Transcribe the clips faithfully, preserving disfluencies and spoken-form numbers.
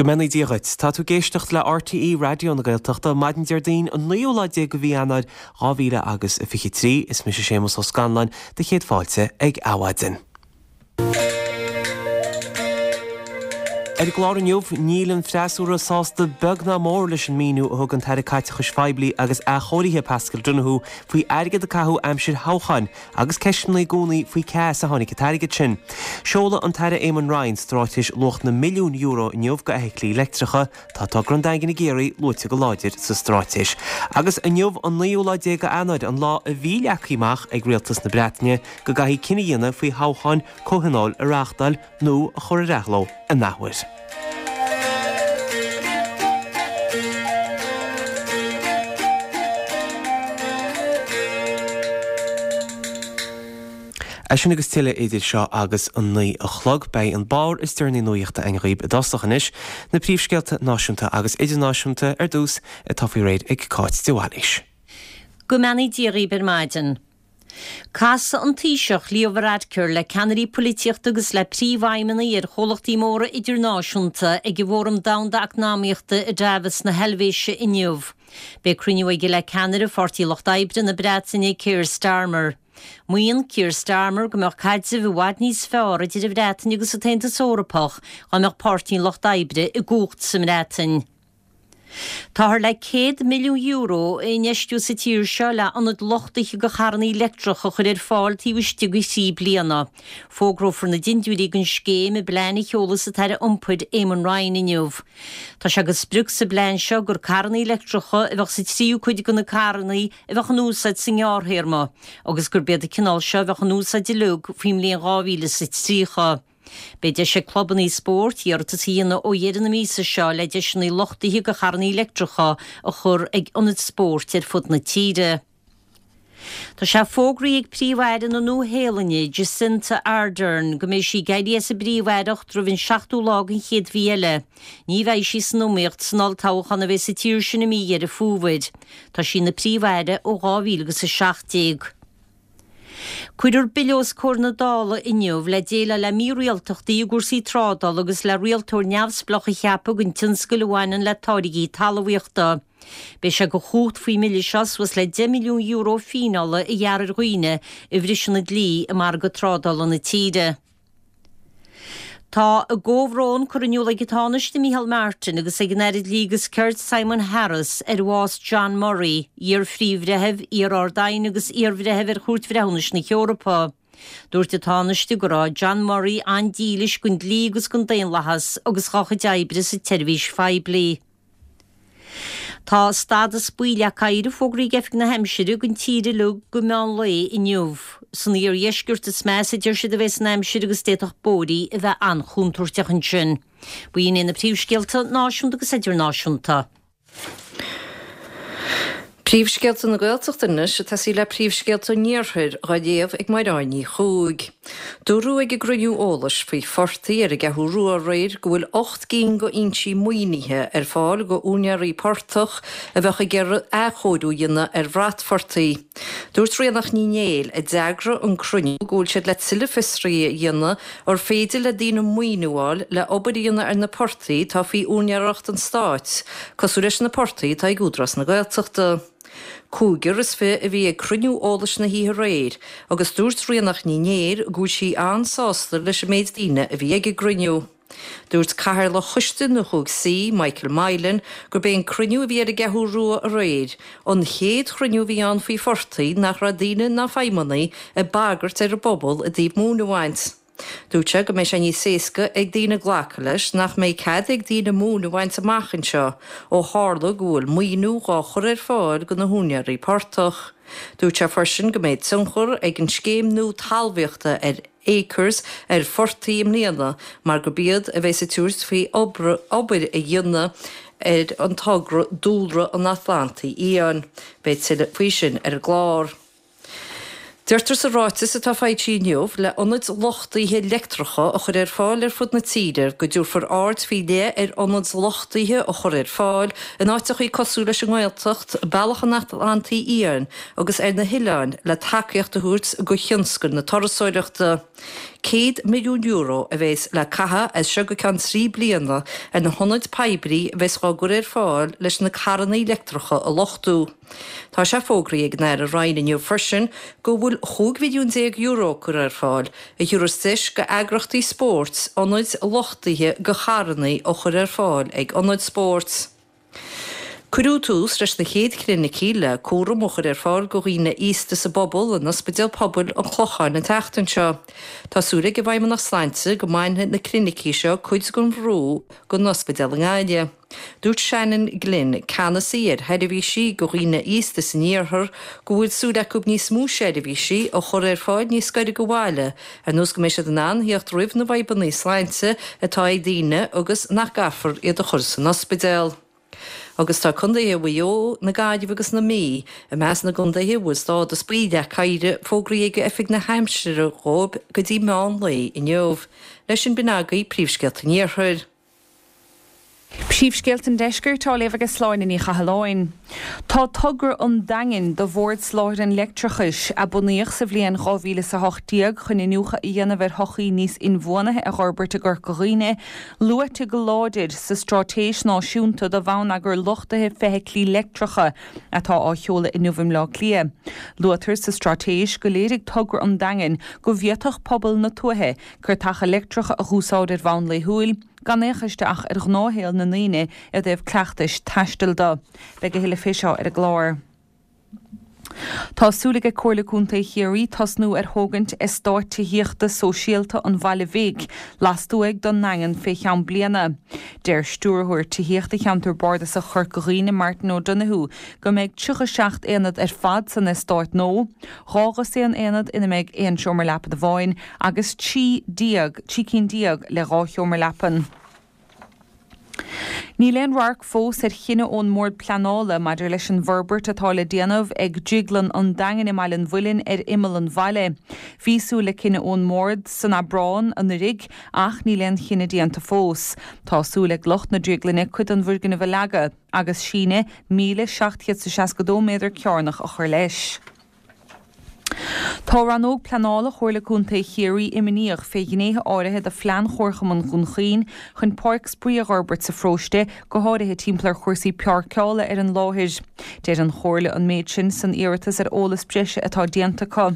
Go mbeannaí Dia dhuit. Tá tú ag éisteacht le RTÉ Raidió na Gaeltachta maidin Déardaoin an naoú lá déag de mhí Eanáir dhá mhíle agus a fiche trí. Is mise Séamus Ó Scanláin do chéad fáilte ag Adhmhaidin. Ar an gclár inniu, níl an freasúra sásta beag ná mór leis an míniú a thug an tAire Caiteachais Phoiblí agus Athchóirithe Paschal Donohoe faoi airgead a caitheadh aimsir thoghcháin agus ceisteanna i gcónaí faoi cá as a tháinig an t-airgead sin. Seolfaidh an tAire Eamon Ryan straitéis luach na milliún euro inniu do fheithiclí leictreacha. Tá togra an Daingin i gCiarraí luaite go láidir sa straitéis. Agus inniu an naoú lá déag d'Eanáir, an lá a bhí leagtha amach ag Rialtas na Breataine go gcaithfidh cinneadh a dhéanamh faoi thoghchán comhthionóil a reáchtáil nó a chur ar athló an athuair. É sin agus tuilleadh idir seo agus an naoi a chlog. Beidh an barr is deireanaí nuachta againn dhaoibh i dtosach anois, na príomhscéalta náisiúnta agus idirnáisiúnta ar dtús atá faoi réir ag Cáit de Bhailís. Go mbeannaí Dia dhaoibh ar maidin. Casfaidh an Taoiseach Leo Varadkar le ceannairí polaitíochta agus le príomhfheidhmeannaigh ar chomhlachtaí móra idirnáisiúnta ag an bhFóram Domhanda Eacnamaíochta i Davos na hEilvéise inniu. Beidh cruinniú aige le ceannaire Pháirtí Lucht Oibre na Breataine Keir Starmer. Maíonn Keir Starmer go mbeadh caidreamh i bhfad níos fearr idir an Bhreatain agus an tAontas Eorpach dá mbeadh Páirtí an Lucht Oibre i gcumhacht sa mBreatain. Táthar le céad milliún euro a infheistiú sa tír seo le ionaid luchtaithe do charranna leictreacha a chur ar fáil taobh istigh de thrí bliana. Fógrófar na dindiúirí don scéim i bplean a sheolfas an tAire Iompair Eamon Ryan inniu. Tá sé de sprioc sa bplean seo gur carranna leictreacha a bheadh sa tríú cuid de na carranna a bheadh in úsáid sa ngearrthéarma agus gurb iad an cineál seo a bheadh in úsáid uilig faoin mbliain dhá mhíle is a tríocha. Beidh deis ag clubanna spóirt iarratas a dhéanamh ó dheireadh na míosa seo le deiseanna luchtaithe do charranna leictreacha a chur ag ionaid spóirt ar fud na tíre. Tá sé fógraithe ag Príomh-Aire na Nua-Shéalainne, Jacinda Ardern, go mbeidh sí ag éirí as an bPríomh-Aireacht roimh an seachtú lá den chéad mhí eile. Ní bheidh sí san iomaíocht san olltoghchán a bheidh sa tír sin i mí Dheireadh Fómhair. Tá sí ina Príomh-Aire ó dhá mhíle agus a seacht déag. Cuirfear bille os comhair na Dála inniu le déileáil le mírialtachtaí i gcúrsaí trádála agus le rialtóir neamhspleách a cheapadh don tionscal a bhaineann le táirgí talmhaíochta. Beidh sé de chumhacht faoin mbille seo suas le deich milliún euro fíneála a ghearradh ar dhaoine a bhriseann an dlí i margadh trádála na tíre. Tá a gcomhbhrón curtha in iúl ag an Tánaiste Micheál Martin agus ag an Aire Dlí agus Cirt Simon Harris ar bhás John Murray, iar-Phríomh-Bhreitheamh, iar-Ard-Aighne agus iar-Bhreitheamh ar Chúirt Bhreithiúnais na hEorpa. Dúirt an Tánaiste go raibh John Murray an-dílis don dlí agus don daonlathas agus dá chuid oibre sa tseirbhís phoiblí. Tá stádas buí le oighir fógraithe ag Oifig na hAimsire don tír uilig go meán lae inniu. San iardheisceart is measa a deir siad a bheas an aimsir agus d'fhéadfadh bóithrí a bheith an-chontúirteach ansin. B'in iad na príomhscéalta náisiúnta agus idirnáisiúnta. Príomhscéalta na Gaeltachta anois ag tosaí le príomhscéalta an Iarthair dhá léamh ag Mairéad Ní Chuaig. Dúradh ag an gcruinniú eolais faoi phortaigh ar an gCeathrú Rua aréir go bhfuil ocht gcinn de fhoinsí maoinithe ar fáil do úinéirí portach a bheadh ag iarraidh athchóiriú a dhéanamh ar bhratphortaigh. Dúirt Ríonach Ní Néill, a d'eagraigh an cruinniú, go bhfuil siad le tuilleadh fiosraithe a dhéanamh ar féidir le daoine maoiniú a fháil le obair a dhéanamh ar na portaigh atá faoi úinéireacht an stáit, cosúil leis na portaigh atá ag Údarás na Gaeltachta. Cúigear is fiche a bhí ag cruinniú eolais na hoíche aréir agus dúirt Ríonach Ní Néill go bhfuil sí an-sásta leis an méid daoine a bhí ag an gcruinniú. Dúirt Cathaoirleach Choiste na gCúig Saoi, Michael Mylan, gurb é an cruinniú a bhí ar an gCeathrú Rua aréir an chéad chruinniú a bhí ann faoi phortaigh nach raibh daoine ná feidhmeannaigh ag bagairt ar an bpobal i dtaobh móin a bhaint. Dúirt sé go mbeidh sé níos éasca ag daoine glacadh leis nach mbeidh cead ag daoine móin a bhaint amach anseo ó tharla go bhfuil maoiniú dhá chur ar fáil do na húinéirí portach. Dúirt sé freisin go mbeidh tionchar ag an scéim nua talmhaíochta ar Acres ar phortaigh i mbliana mar gurb iad a bheas ag tabhairt faoi obair a dhéanamh ar an togra Dúlra an Atlantaigh Fhiáin. Beidh tuilleadh faoi sin ar an gclár. Deirtear sa ráiteas atá foilsithe inniu le ionaid luchtaithe leictreacha a chur ar fáil ar fud na tíre go dtabharfar aird faoi leith ar ionaid luchtaithe a chur ar fáil in áiteachaí cosúil leis an nGaeltacht, Bealach an Atlantaigh Fhiáin agus ar na hoileáin le tacaíocht a thabhairt go thionscal na turasóireachta. Céad milliún euro a bheas le caitheamh as seo go ceann trí bliana ar na hionaid poiblí a bheas á gcur ar fáil leis na carranna leictreacha a luchtú. Tá sé fógraithe ag an Aire Ryan inniu freisin go bhfuil chúig mhilliún déag euro curtha ar fáil a thabharfas deis go eagrachtaí spóirt ionaid luchtaithe go charranna a chur ar fáil ag ionaid spóirt. Cuireadh tús leis na chéad chlinicí le cúram a chur ar fáil go dhaoine aosta sa bpobal in Ospidéal Pobail an Chlocháin an tseachtain seo. Tá súil ag an bhFeidhmeannacht Sláinte go mbainfidh na clinicí seo cuid den bhrú gon ospidéal i nGaillimh. Dúirt Shannon Glynn, ceannasaí ar sheirbhísí go dhaoine aosta san iarthar, go bhfuil súil acu níos mó seirbhísí a chur ar fáil níos gaire go bhaile, ar nós go mbeidh siad in ann theacht roimh na fadhbanna sláinte atá ag daoine agus nach gcaithfear iad a chur san ospidéal. Agus tá contaetha Mhaigh Eo, na Gaillimhe agus na Mí i measc na gcontaetha a bhfuil stádas buí le caire fógraithe ag Oifig na hAimsire dhóibh go dtí meán lae inniu. Leis sin b'in agaibh príomhscéalta an Iarthair. Príomhscéalta an Deiscirt á léamh ag Sláine Ní Chathalláin. Tá togra an Daingin do Bhord Soláthair an Leictreachais, a bunaíodh sa bhliain dhá mhíle is a hocht déag chun iniúchadh a dhéanamh ar shochaí níos inbhuanaithe a fhorbairt i gCorca Dhuibhne, luaite go láidir sa Straitéis Náisiúnta do Bhonneagar Luchtaithe Feithiclí Leictreacha atá á sheoladh inniu i mBleá Cliath. Luaitear sa straitéis go léirigh togra an Daingin go bhféadfadh pobal na tuaithe cairteacha leictreacha a dh'úsáid ar bhonn laethúil, gan aon chur isteach ar ghnáthshaol na ndaoine i dtaobh cleachtais taistil de. Beidh a thuilleadh fé seo ar an gclár. Tá súil ag Comhairle Contae Chiarraí tosnú ar thógaint eastáit tithíochta sóisialta an Bhaile Bhig lastuaidh don nDaingean fé cheann bliana. Deir Stiúrthóir Tithíochta Cheantar Bardasach Chorca Dhuibhne, Martin O'Donoghue, go mbeidh tríocha seacht aonad ar fad san eastát nua, dhá dhosaen aonad ina mbeidh aon seomra leapan amháin agus trí déag, trí cinn déag le dhá sheomra leapan. Níl aon radharc fós ar chinneadh ón mBord Pleanála maidir leis an bhforbairt atá le déanamh ag Drioglann an Daingin i mBaile an Mhuilinn ar imeall an bhaile. Bhí súil le cinneadh ón mBord san Aibreán anuraidh ach níl aon chinneadh déanta fós. Tá súil ag lucht na drioglainne cuid den bhfoirgneamh a leagadh agus síneadh míle seacht gcéad is seasca dó méadar cearnach a chur leis. Tá Rannóg Pleanála Chomhairle Contae Chiarraí imníoch fé ghnéithe áirithe de phlean Chomharchumann Dhún Chaoin chun páirc spraoi a dh'fhorbairt sa pharóiste, go háirithe timpeall ar chúrsaí páirceála ar an láthair. Deir an Chomhairle an méid sin san iarratas ar eolas breise atá déanta acu.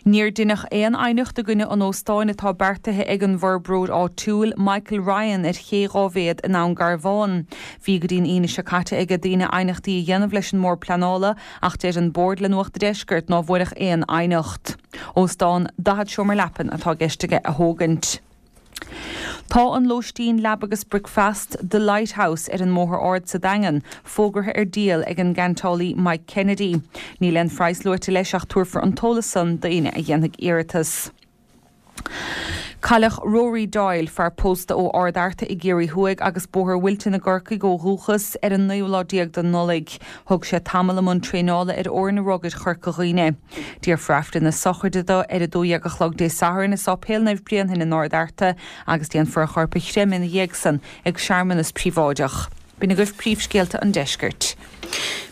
Níor deineadh aon aighneacht i gcoinne an óstáin atá beartaithe ag an bhforbróir áitiúil, Michael Ryan, ar Ché Dhá Mhéad i nDún Garbhán. Bhí go dtí'n Aoine seo caite ag daoine aighneachtaí a dhéanamh leis an mBord Pleanála ach deir an Bord le Nuacht an Deiscirt ná bhfuaireadh aon aighneacht. Óstán daichead seomra leapan atá i gceist aige a thógaint. Tá an lóistín leaba agus bricfeasta The Lighthouse ar an mBóthar Ard sa Daingean fógartha ar díol ag an gceantálaí Mike Kennedy. Níl aon phraghas luaite leis ach tabharfar an t-eolas san d'aoinne a dhéanfaidh iarratas. Cailleadh Rory Doyle, fear pósta ó Ard Fhearta i gCiarraí Thuaidh agus Bóthar Wilton i gCorcaigh ó dhúchas, ar an naoú lá déag de Nollaig. Thug sé tamall i mbun traenála ar fhoirne rugair Chorca Dhuibhne. Déarfar Aifreann na sochraide dó ar a dó dhéag a chlog Dé Sathairn i Sáipéal Naomh Bréanainn in Ard Fhearta agus déanfar a chorp a chreimeadh ina dhiaidh san ag searmanas príobháideach. B'in agaibh príomhscéalta an deiscirt.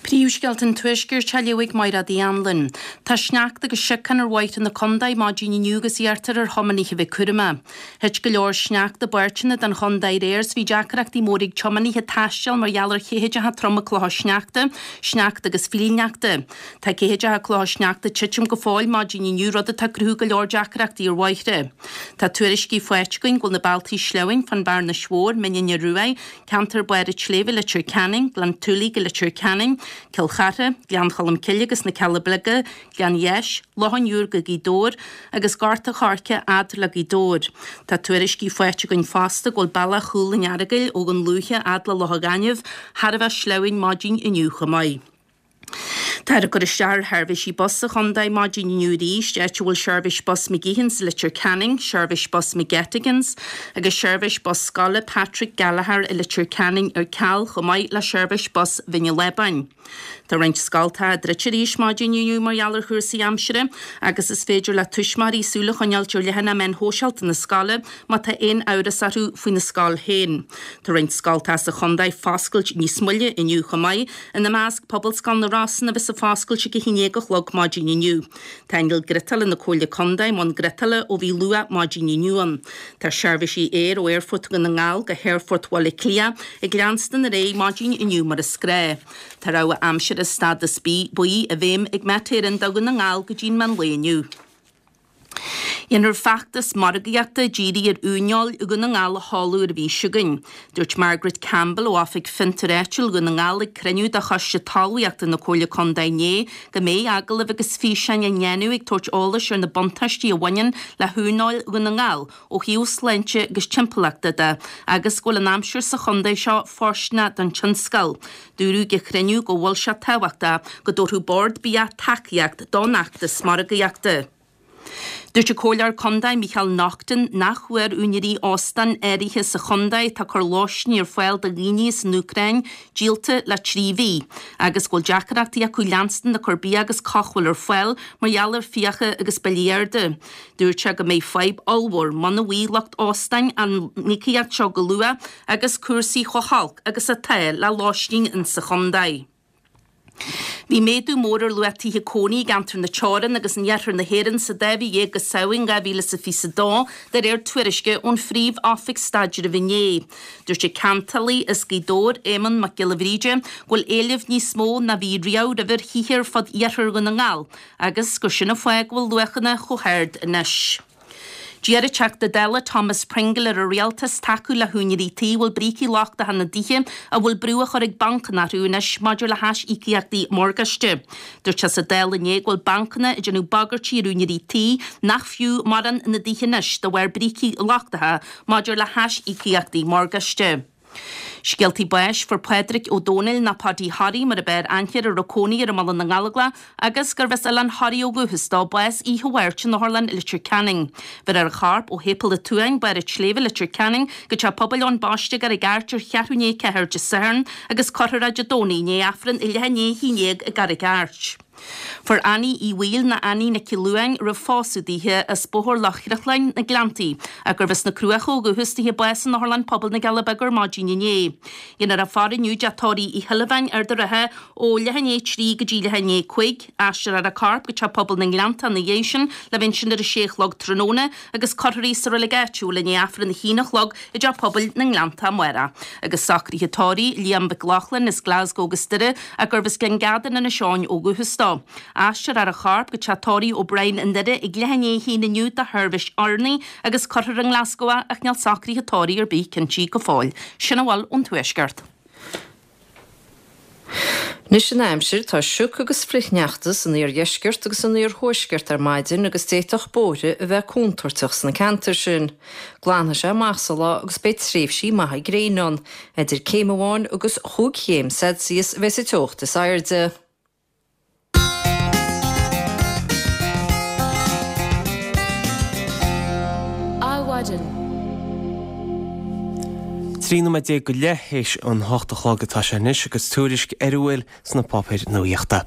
Príomhscéalta an Tuaiscirt á léamh ag Mairéad Uí Anluain. Tá sneachta agus siocán ar bhóithre na contae maidin inniu agus iarrtar ar thiománaithe a bheith cúramach. Thit go leor sneachta i bpáirteanna den chontae aréir 's bhí deacrachtaí móra ag tiománaithe taisteal mar gheall ar cheathideacha troma clocha sneachta, sneachta agus fiilneachta. Tá ceathideacha clocha sneachta ag titim go fóill maidin inniu rud atá ag cruthú go leor deacrachtaí ar bhóithre. Tá tuairiscí faighte againn go bhfuil na bealtaí sleamhain fán Bhearnais Mhór, Mín an Ruaidh, ceantar Barr an tSléibhe, Leitir Ceanainn, Gleann tSúilí go Leitir Ceanainn, Cill Chartha, Gleann Cholm Cille agus na Cealla Beaga, Gleann Dheis, Loch an Iúir go Gaoth Dobhair agus Gort a' Choirce fhad le Gaoth Dobhair. Tá tuairiscí faighte againn fosta go bhfuil bealach Chúil an Earagail ó Dhún Lúiche fhad le Loch a' Ghainimh thar a bheith sleamhain maidin inniu chomh maith. Táthar ag cur isteach ar sheirbhísí bus sa chontae maidin inniu arís, áit a bhfuil seirbhís bus McGeehan's i Leitir Ceanainn, seirbhís bus McGettigans agus seirbhís bus scoile Patrick Gallagher i Leitir Ceanainn ar ceal chomh maith le seirbhís bus Bhinn an Lábáin. Tá roinnt scoltacha druidte arís maidin inniu mar gheall ar chúrsaí aimsire agus is féidir le tuismitheoirí súil a choinneáilt ar leathanach meán shóisialta na scoile má tá aon amhras orthu faoina scoil féin. Tá roinnt scoltacha sa chontae ag foscailt níos moille inniu chomh maith, ina measc Pobalscoil na Rosann a bheas ag foscailt ag a haon déag a chlog maidin inniu. Tá inneall griotála na Comhairle Contae i mbun griotála ó bhí luath maidin inniu ann. Tá seirbhísí aeir ó Aerfort Dhún na nGall go hAerfort Bhaile Átha Cliath ag leanstan ar aghaidh maidin inniu mar is gnách. Tá rabhadh aimsire stádas B buí i bhfeidhm ag Met Éireann do Dhún na nGall go dtí'n meán lae inniu. Dhéanfar feachtas margaíochta dírithe ar uaineoil Dhún na nGall a sheoladh ar an mhí seo chugainn. Dúirt Margaret Campbell ó Oifig Fiontair Áitiúil Dhún na nGall ag cruinniú de Choiste Talmhaíochta na Comhairle Contae inné go mbeidh agallaimh agus físeáin á ndéanamh ag tabhairt eolais ar na buntáistí a bhaineann le huaineoil Dhún na nGall ó thaobh sláinte agus timpeallachta de agus go bhfuil an aimsir sa chontae seo fóirsteanach don tionscal. Dúradh ag an chruinniú go bhfuil sé tábhachtach go dtabharfadh Bord Bia tacaíocht don fheachtas margaíochta. Dúirt an Comhairleoir Contae Micheál Naughton nach bhfuair úinéirí óstáin áirithe sa chontae atá ag cur lóistín ar fáil do dhaoine as an Úcráin díolta le trí mhí agus go bhfuil deacrachtaí acu leanstan ag cur bia agus cothabháil ar fáil mar gheall ar fiacha agus billí arda. Dúirt sé go mbeidh fadhb ollmhór muna bhfaighidh lucht óstáin an íocaíocht seo go luath agus cúrsaí chomh holc agus atá le lóistín insa chontae. Bhí méadú mór ar luach tithe cónaí i gceantar na Teorann agus in iarthar na hÉireann sa dá mhí dhéag go Samhain dhá mhíle is a fiche a dó, de réir tuairisce ón Phríomh-Oifig Staidrimh inné. Dúirt an ceantálaí as Gaoth Dobhair, Éamonn Mac Giolla Bhríde, go bhfuil éileamh níos mó ná bhí riamh roimhe ar thithe ar fud iarthar Dhún na nGall agus gur sin an fáth go bhfuil luachanna chomh hard anois. D'iarr an Teachta Dála Thomas Pringle ar an Rialtas tacú le húinéirí tí a bhfuil brící lochtacha ina dtithe a bhfuil brú á chur ag bancanna orthu anois maidir le haisíocaíochtaí morgáiste. Dúirt sé sa Dáil inné go bhfuil bancanna ag déanamh bagairtí ar úinéirí tí nach fiú mórán ina dtithe anois de bharr brící lochtacha maidir le haisíocaíochtaí morgáiste. Scéaltaí báis, Fuair Pádraic Ó Dónaill nó Paudie Thoraí mar ab fhearr aithne air a raibh cónaí air i mBaile na nGallóglach agus gurbh as Oileán Thoraí ó dhúchas dó, bás oíche Mháirt in Otharlann Leitir Ceanainn. Bhéarfar a chorp ó Shéipéal an tSuain, Barr an tSléibhe, Leitir Ceanainn, go Teach Pobail Eoin Baiste i gCarraig Airt ar cheathrú i ndiaidh a ceathair Dé Sathairn agus cuirfear é Dé Domhnaigh i ndiaidh Aifreann ag leath i ndiaidh a haon déag i gCarraig Airt. Fuair Annie Uí Bhaoill nó Annie Nic Luain a raibh pósadh daoithe as Bóthar Loch Chriocláin, na Gleanntaí, ach gurbh as na Cruacha ó dhúchas daoithe bás in Otharlann Pobail na gCealla Beaga ar maidin inné. Dhéanfar a faire inniu i dteach tórraimh Uí Shuilleabháin, Ard an Rátha, ó leath i ndiaidh a trí go dtí leath i ndiaidh a cúig. Aistreofar a corp go Teach Pobail na nGleanntach ina dhiaidh sin le bheith ansin ar a sé a chlog tráthnóna agus cuirfear í sa reilig áitiúil i ndiaidh Aifreann a haon a chlog i dTeach Pobail na nGleanntach amárach. Agus socruithe tórraimh Liam Mhic Lochlainn as Glasgow agus Doire ach gurbh as Gleann Geadain Inis Eoghain ó dhúchas dó. Aistreofar a chorp go teach tórraimh O'Brien i nDoire ag leath i ndiaidh a haon inniu do sheirbhís urnaí agus cuirfear i nGlasgow é ach níl socruithe tórraimh ar bith cinntí go fóill. Sin a bhfuil ón Tuaisceart. Anois an aimsir, tá sioc agus flichshneachta san iardheisceart agus san iarthuaisceart ar maidin agus d'fhéadfadh bóithre a bheith contúirteach sna ceantair sin. Glanfaidh sé amach sa lá agus beidh tréimhsí maithe gréine ann. Idir céim amháin agus chúig chéim Celsius a bheidh sa teocht is airde. Adhmhaidin. Trí nóiméad déag go leith théis an hocht a chlog atá sé anois agus tuairisc ar a bhfuil sna páipéir nuaíochta.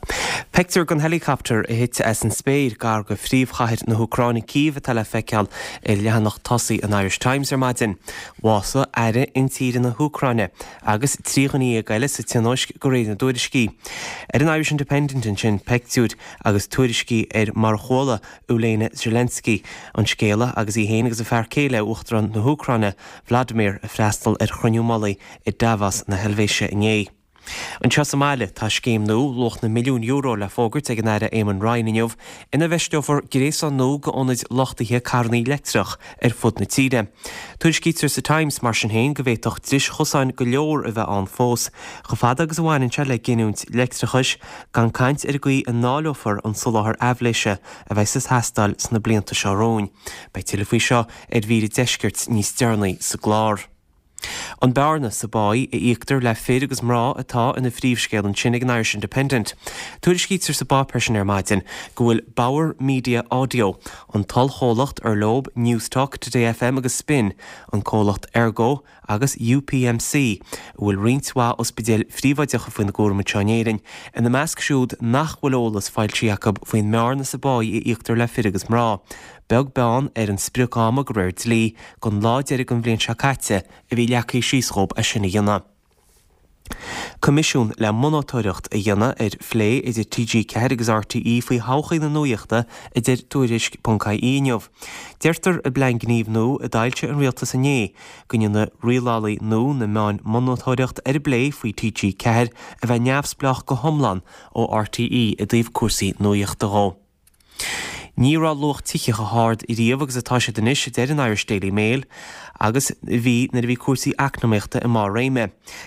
Pictiúr den helicopter a thit as an spéir gar go phríomhchathair na hÚcráine Cív atá le feiceáil ar leathanach tosaigh an Irish Times ar maidin. Bhásaigh Aire Intíre na hÚcráine agus trí dhuine dhéag eile sa tionóisc de réir na dtuairiscí. Ar an Irish Independent ansin pictiúir agus tuairiscí ar mar a chuala Olena Zelensky an scéala agus í féin agus a fear céile, Uachtarán na hÚcráine, Vladimir, ag freastal ar chruinniú mullaigh i Davos na hEilvéise inné. Anseo sa mbaile, tá scéim nua, luach na milliún euro, le fógairt ag an Aire Eamon Ryan inniu, ina bhfeisteofar gréasán nua d'ionaid luchtaithe carranna leictreach ar fud na tíre. Tuairiscítear sa Times, mar sin féin, go bhféadfadh dris chosáin go leor a bheith ann fós, chomh fada agus a bhaineann sé le giniúint leictreachais, gan caint ar an gcaoi a ndáileofar an soláthar aibhléise a bheas ag teastáil sna blianta seo romhainn. Beidh tuilleadh faoi seo ar mhír an deiscirt níos deireanaí sa gclár. An bearna sa bpá a íoctar le fir agus mná atá ina phríomhscéal ansin ag an Irish Independent. Tuairiscítear sa bpáipéar sin ar maidin go bhfuil Bauer Media Audio, an t-ollchomhlacht ar leo Newstalk, Today FM agus Spin, an comhlacht Ergo agus UPMC, a bhfuil roinnt mhaith ospidéil phríobháideacha faoina gcúram anseo in Éirinn, ina measc siúd nach bhfuil eolas foilsithe acu faoin mbearna sa bpá a íoctar le fir agus mná. Beag beann ar an sprioc-am de réir dlí don lá deiridh den bhliain seo caite a bhí leagtha síos dhóibh é sin a dhéanamh. Coimisiún le monatóireacht a dhéanamh ar phlé idir TG Ceathair agus RTÉ faoi thodhchaí na nuachta a deir Tuairisc.ie inniu. Deirtear i bplean gnímh nua a d'fhoilsigh an rialtas inné go ndéanfaidh rialálaí nua na meán monatóireacht ar an bplé faoi TG Ceathair a bheith neamhspleách go hiomlán ó RTÉ i dtaobh cúrsaí nuachta dhó. Ní raibh luach tithe chomh hard riamh agus atá siad anois a deir an Irish Daily Mail agus bhí nuair a bhí cúrsaí eacnamaíochta i mbarr réime.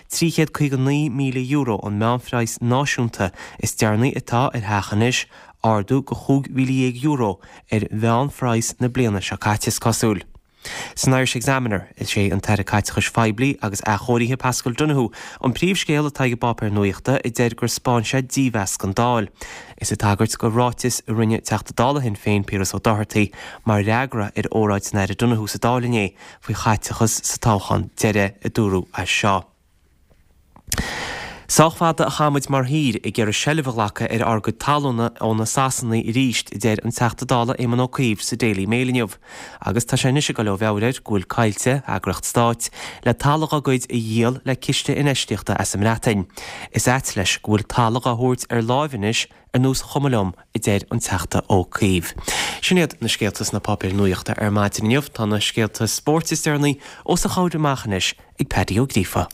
Trí chéad caoga naoi míle euro an meánphraghas náisiúnta is deireanaí atá ar theach anois, ardú de chúig mhíle dhéag euro ar mheánphraghas na bliana seo caite is cosúil. San Irish Examiner, is é an tAire Caiteachais Phoiblí agus Athchóirithe Paschal Donohoe an príomhscéal atá ag an bpáipéar nuachta a deir gur 'spáin sé dímheas don Dáil. Is ag tagairt do ráiteas a rinne Teachta Dála Shinn Féin Piaras Ó Dochartaigh mar fhreagra ar óráid an Aire Donohoe sa Dáil inné faoi chaiteachas sa toghchán deiridh a dúradh as seo. Sách fada a chaith muid mar thír ag iarraidh seilbh a ghlacadh ar ár gcuid talúna ó na Sasanaigh arís, a deir an Teachta Dála Éamon Ó Cuív sa Daily Mail inniu. Agus tá sé anois ag dul ó mheabhair air go bhfuil Coillte, eagraíocht stáit, le talamh dá gcuid a dhíol le ciste infheistíochta as an mBreatain. Is ait leis go bhfuil talamh á thabhairt ar láimh anois ar nós chuma liom, a deir an Teachta Ó Cuív. Sin iad na scéalta sna páipéir nuachta ar maidin inniu. Tá na scéalta spóirt is deireanaí os a chomhair amach anois ag Paddy Ó Gríofa.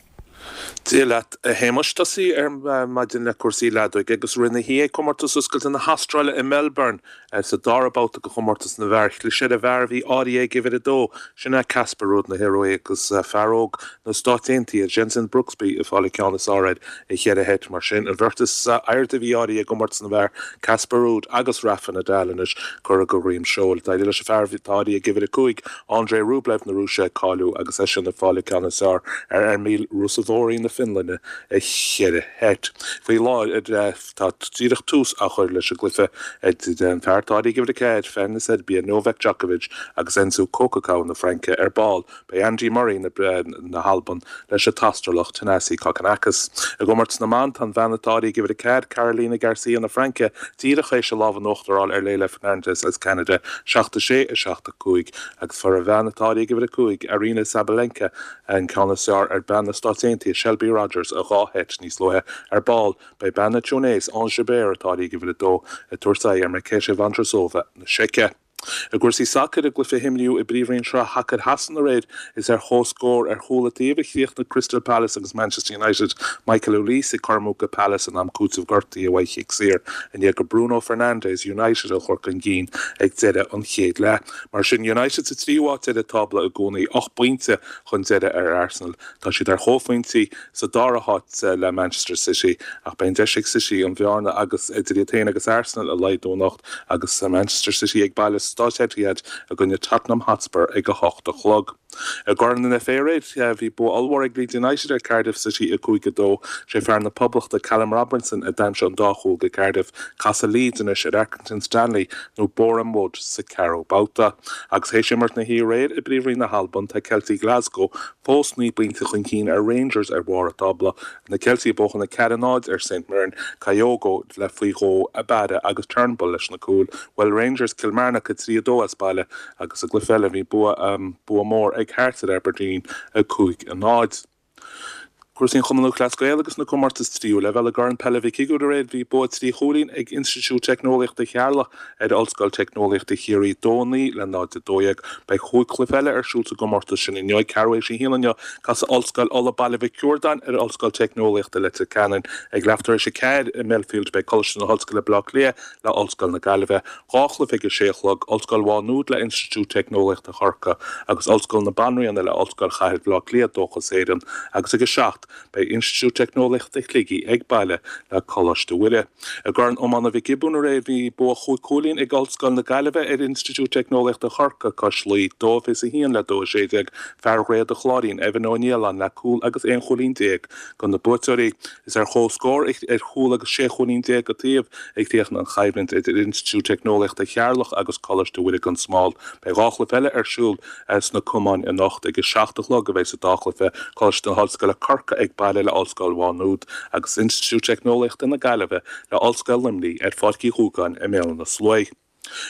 Dia leat a Shéamais tosaí ar maidin le cúrsaí leadóige agus rinne hí comórtas oscailte na hAstráile i Melbourne sa dara babhta de chomórtas na bhfear. Chlis ar an bhfear a bhí áirithe ag uimhir a dó sin é Casper Ruud na hIoruaí agus fear óg na Stát Aontaithe Jensen Brooksby ag fáil an ceann is fearr air i cheithre sheit mar sin an bheirt is airde a bhí áirithe i gcomórtas na bhfear Casper Ruud agus Rafa Nadal anois curtha de dhroim seoil. D'éirigh leis an fear atá áirithe ag uimhir a cúig Andrei Rublev na Rúise cáiliú agus eisean ag fáil an ceann is fearr ar Emil Ruusuvuori na Fionlainne i cheithre sheit. Faoi láthair tá díreach tús á chur leis an gcluiche idir an fear atá áirithe ag uimhir a ceathair fear na Seirbia Novak Djokovic agus Enzo Coquecao na Fraince ar ball. Beidh Andy Murray na, na hAlban leis an tAstrálach Thanasi Kokkinakis. I gcomórtas na mban tá an bhean atá áirithe ag uimhir a ceathair Caroline Garcia na Fraince díreach théis an lámh in uachtar a fháil ar Leylah Fernandez as Ceanada seacht a sé a seacht a cúig agus fuair an bhean atá áirithe ag uimhir a cúig Aryna Sabalenka an ceann is fearr ar bean na Stát Aontaithe Shelby Rogers a dhá sheit níos luaithe ar ball. Beidh bean na Túinéise Ons Jabeur atá áirithe ag uimhir a dó ag tabhairt aghaidh ar Marketa Vondrousova na Seice. I gcúrsaí sacair i gcluiche inniu i bPríomhroinn Sraith Shacair Shasana aréir is ar chomhscór ar chúl an taobh a chríochnaigh Crystal Palace agus Manchester United Michael Olise ag cur amú do Palace in am cúitimh gortaithe uaidh chic saor i ndiaidh do Bruno Fernandes United a chur chun cinn ag deireadh an chéad leath. Mar sin United sa tríú háit ar an tábla i gcónaí ocht bpointe chun deiridh ar Arsenal. Tá siad ar chomhphointí sa dara háit le Manchester City ach beidh an deis ag City an bhearna agus idir iad féin agus Arsenal a laghdú anocht agus Manchester City ag baile sa Staid Etihad i gcoinne Tottenham Hotspur ag a hocht a chlog. I gCorn an FA aréir bhí bua ollmhór ag Leeds United ar Cardiff City a cúig a dó. Sé fear na Poblachta Callum Robinson a d'aimsigh an dá chúl do Cardiff. Casfaidh Leeds anois ar Accrington Stanley nó Boreham Wood sa ceathrú babhta. Agus théis imirt na hoíche aréir i bPríomhroinn na hAlban tá Celtic Glasgow fós naoi bpointe chun cinn ar Rangers ar bharr an tábla. Na Celtic ag buachan a ceathair a náid ar St Mirren, Kyogo le faoi dhó Abada agus Turnbull leis na cúil. Bhuail Rangers Kilmarnock a trí a dó as baile agus sa gcluiche eile bhí bua bua mór ag Hearts ar Aberdeen a cúig a náid. Cúrsaí an Chumann Lúthchleas Gael agus na comórtais tríú leibhéal i gCorn Peile Mhic Uidhir aréir bhí bua trí chúilín ag Institiúid Teicneolaíochta Cheatharlach ar Ollscoil Teicneolaíochta Chiarraí dó naoi le náid a dó dhéag. Beidh cúig chluiche eile ar siúl sa gcomórtas sin inniu ceathrú théis a haon inniu casfaidh Ollscoil Uladh Baile Mhic Ciardáin ar Ollscoil Teicneolaíochta Leitir Ceanainn. Ag leath tar éis a ceathair i Millfield beidh Coláiste na hOllscoile Baile Átha Cliath le Ollscoil na Gaillimhe. Dhá chluiche ag a sé a chlog, Ollscoil Mhá Nuad le Institiúid Teicneolaíochta Chorcaí agus Ollscoil na Banríona le Ollscoil Chathair Bhaile Átha Cliath Dóchas Éireann agus ag a seacht Beidh Institiúid Teicneolaíochta Shligigh ag baile le Coláiste Mhuire. I gCorn Iomána Mhic Giobúin aréir bhí bua chúig chúilín ag Ollscoil na Gaillimhe ar Institiúid Teicneolaíochta Chorcaí Cois Laoi, dó fiche a haon le dó a sé déag. Fear Dhroichead an Chláirín, Evan Ó Nialláin le cúl agus aon chúilín déag do na buaiteoirí. Is ar chomhscór ar chúl agus sé chúilín déag an taobh a chríochnaigh an choimhlint idir Institiúid Teicneolaíochta Cheatharlach agus Coláiste Mhuire gan Smál. Beidh dhá chluiche eile ar siúl sna cumainn anocht. Ag a seacht a chlog a bheidh sa dá chluiche, Coláiste na hOllscoile Corcaigh ag baile le Ollscoil Mhá Nuad agus Institiúid Teicneolaíochta na Gaillimhe le Ollscoil Luimnigh ar Pháirc Uí Dhúgáin i mBéal Átha na Sluaighe.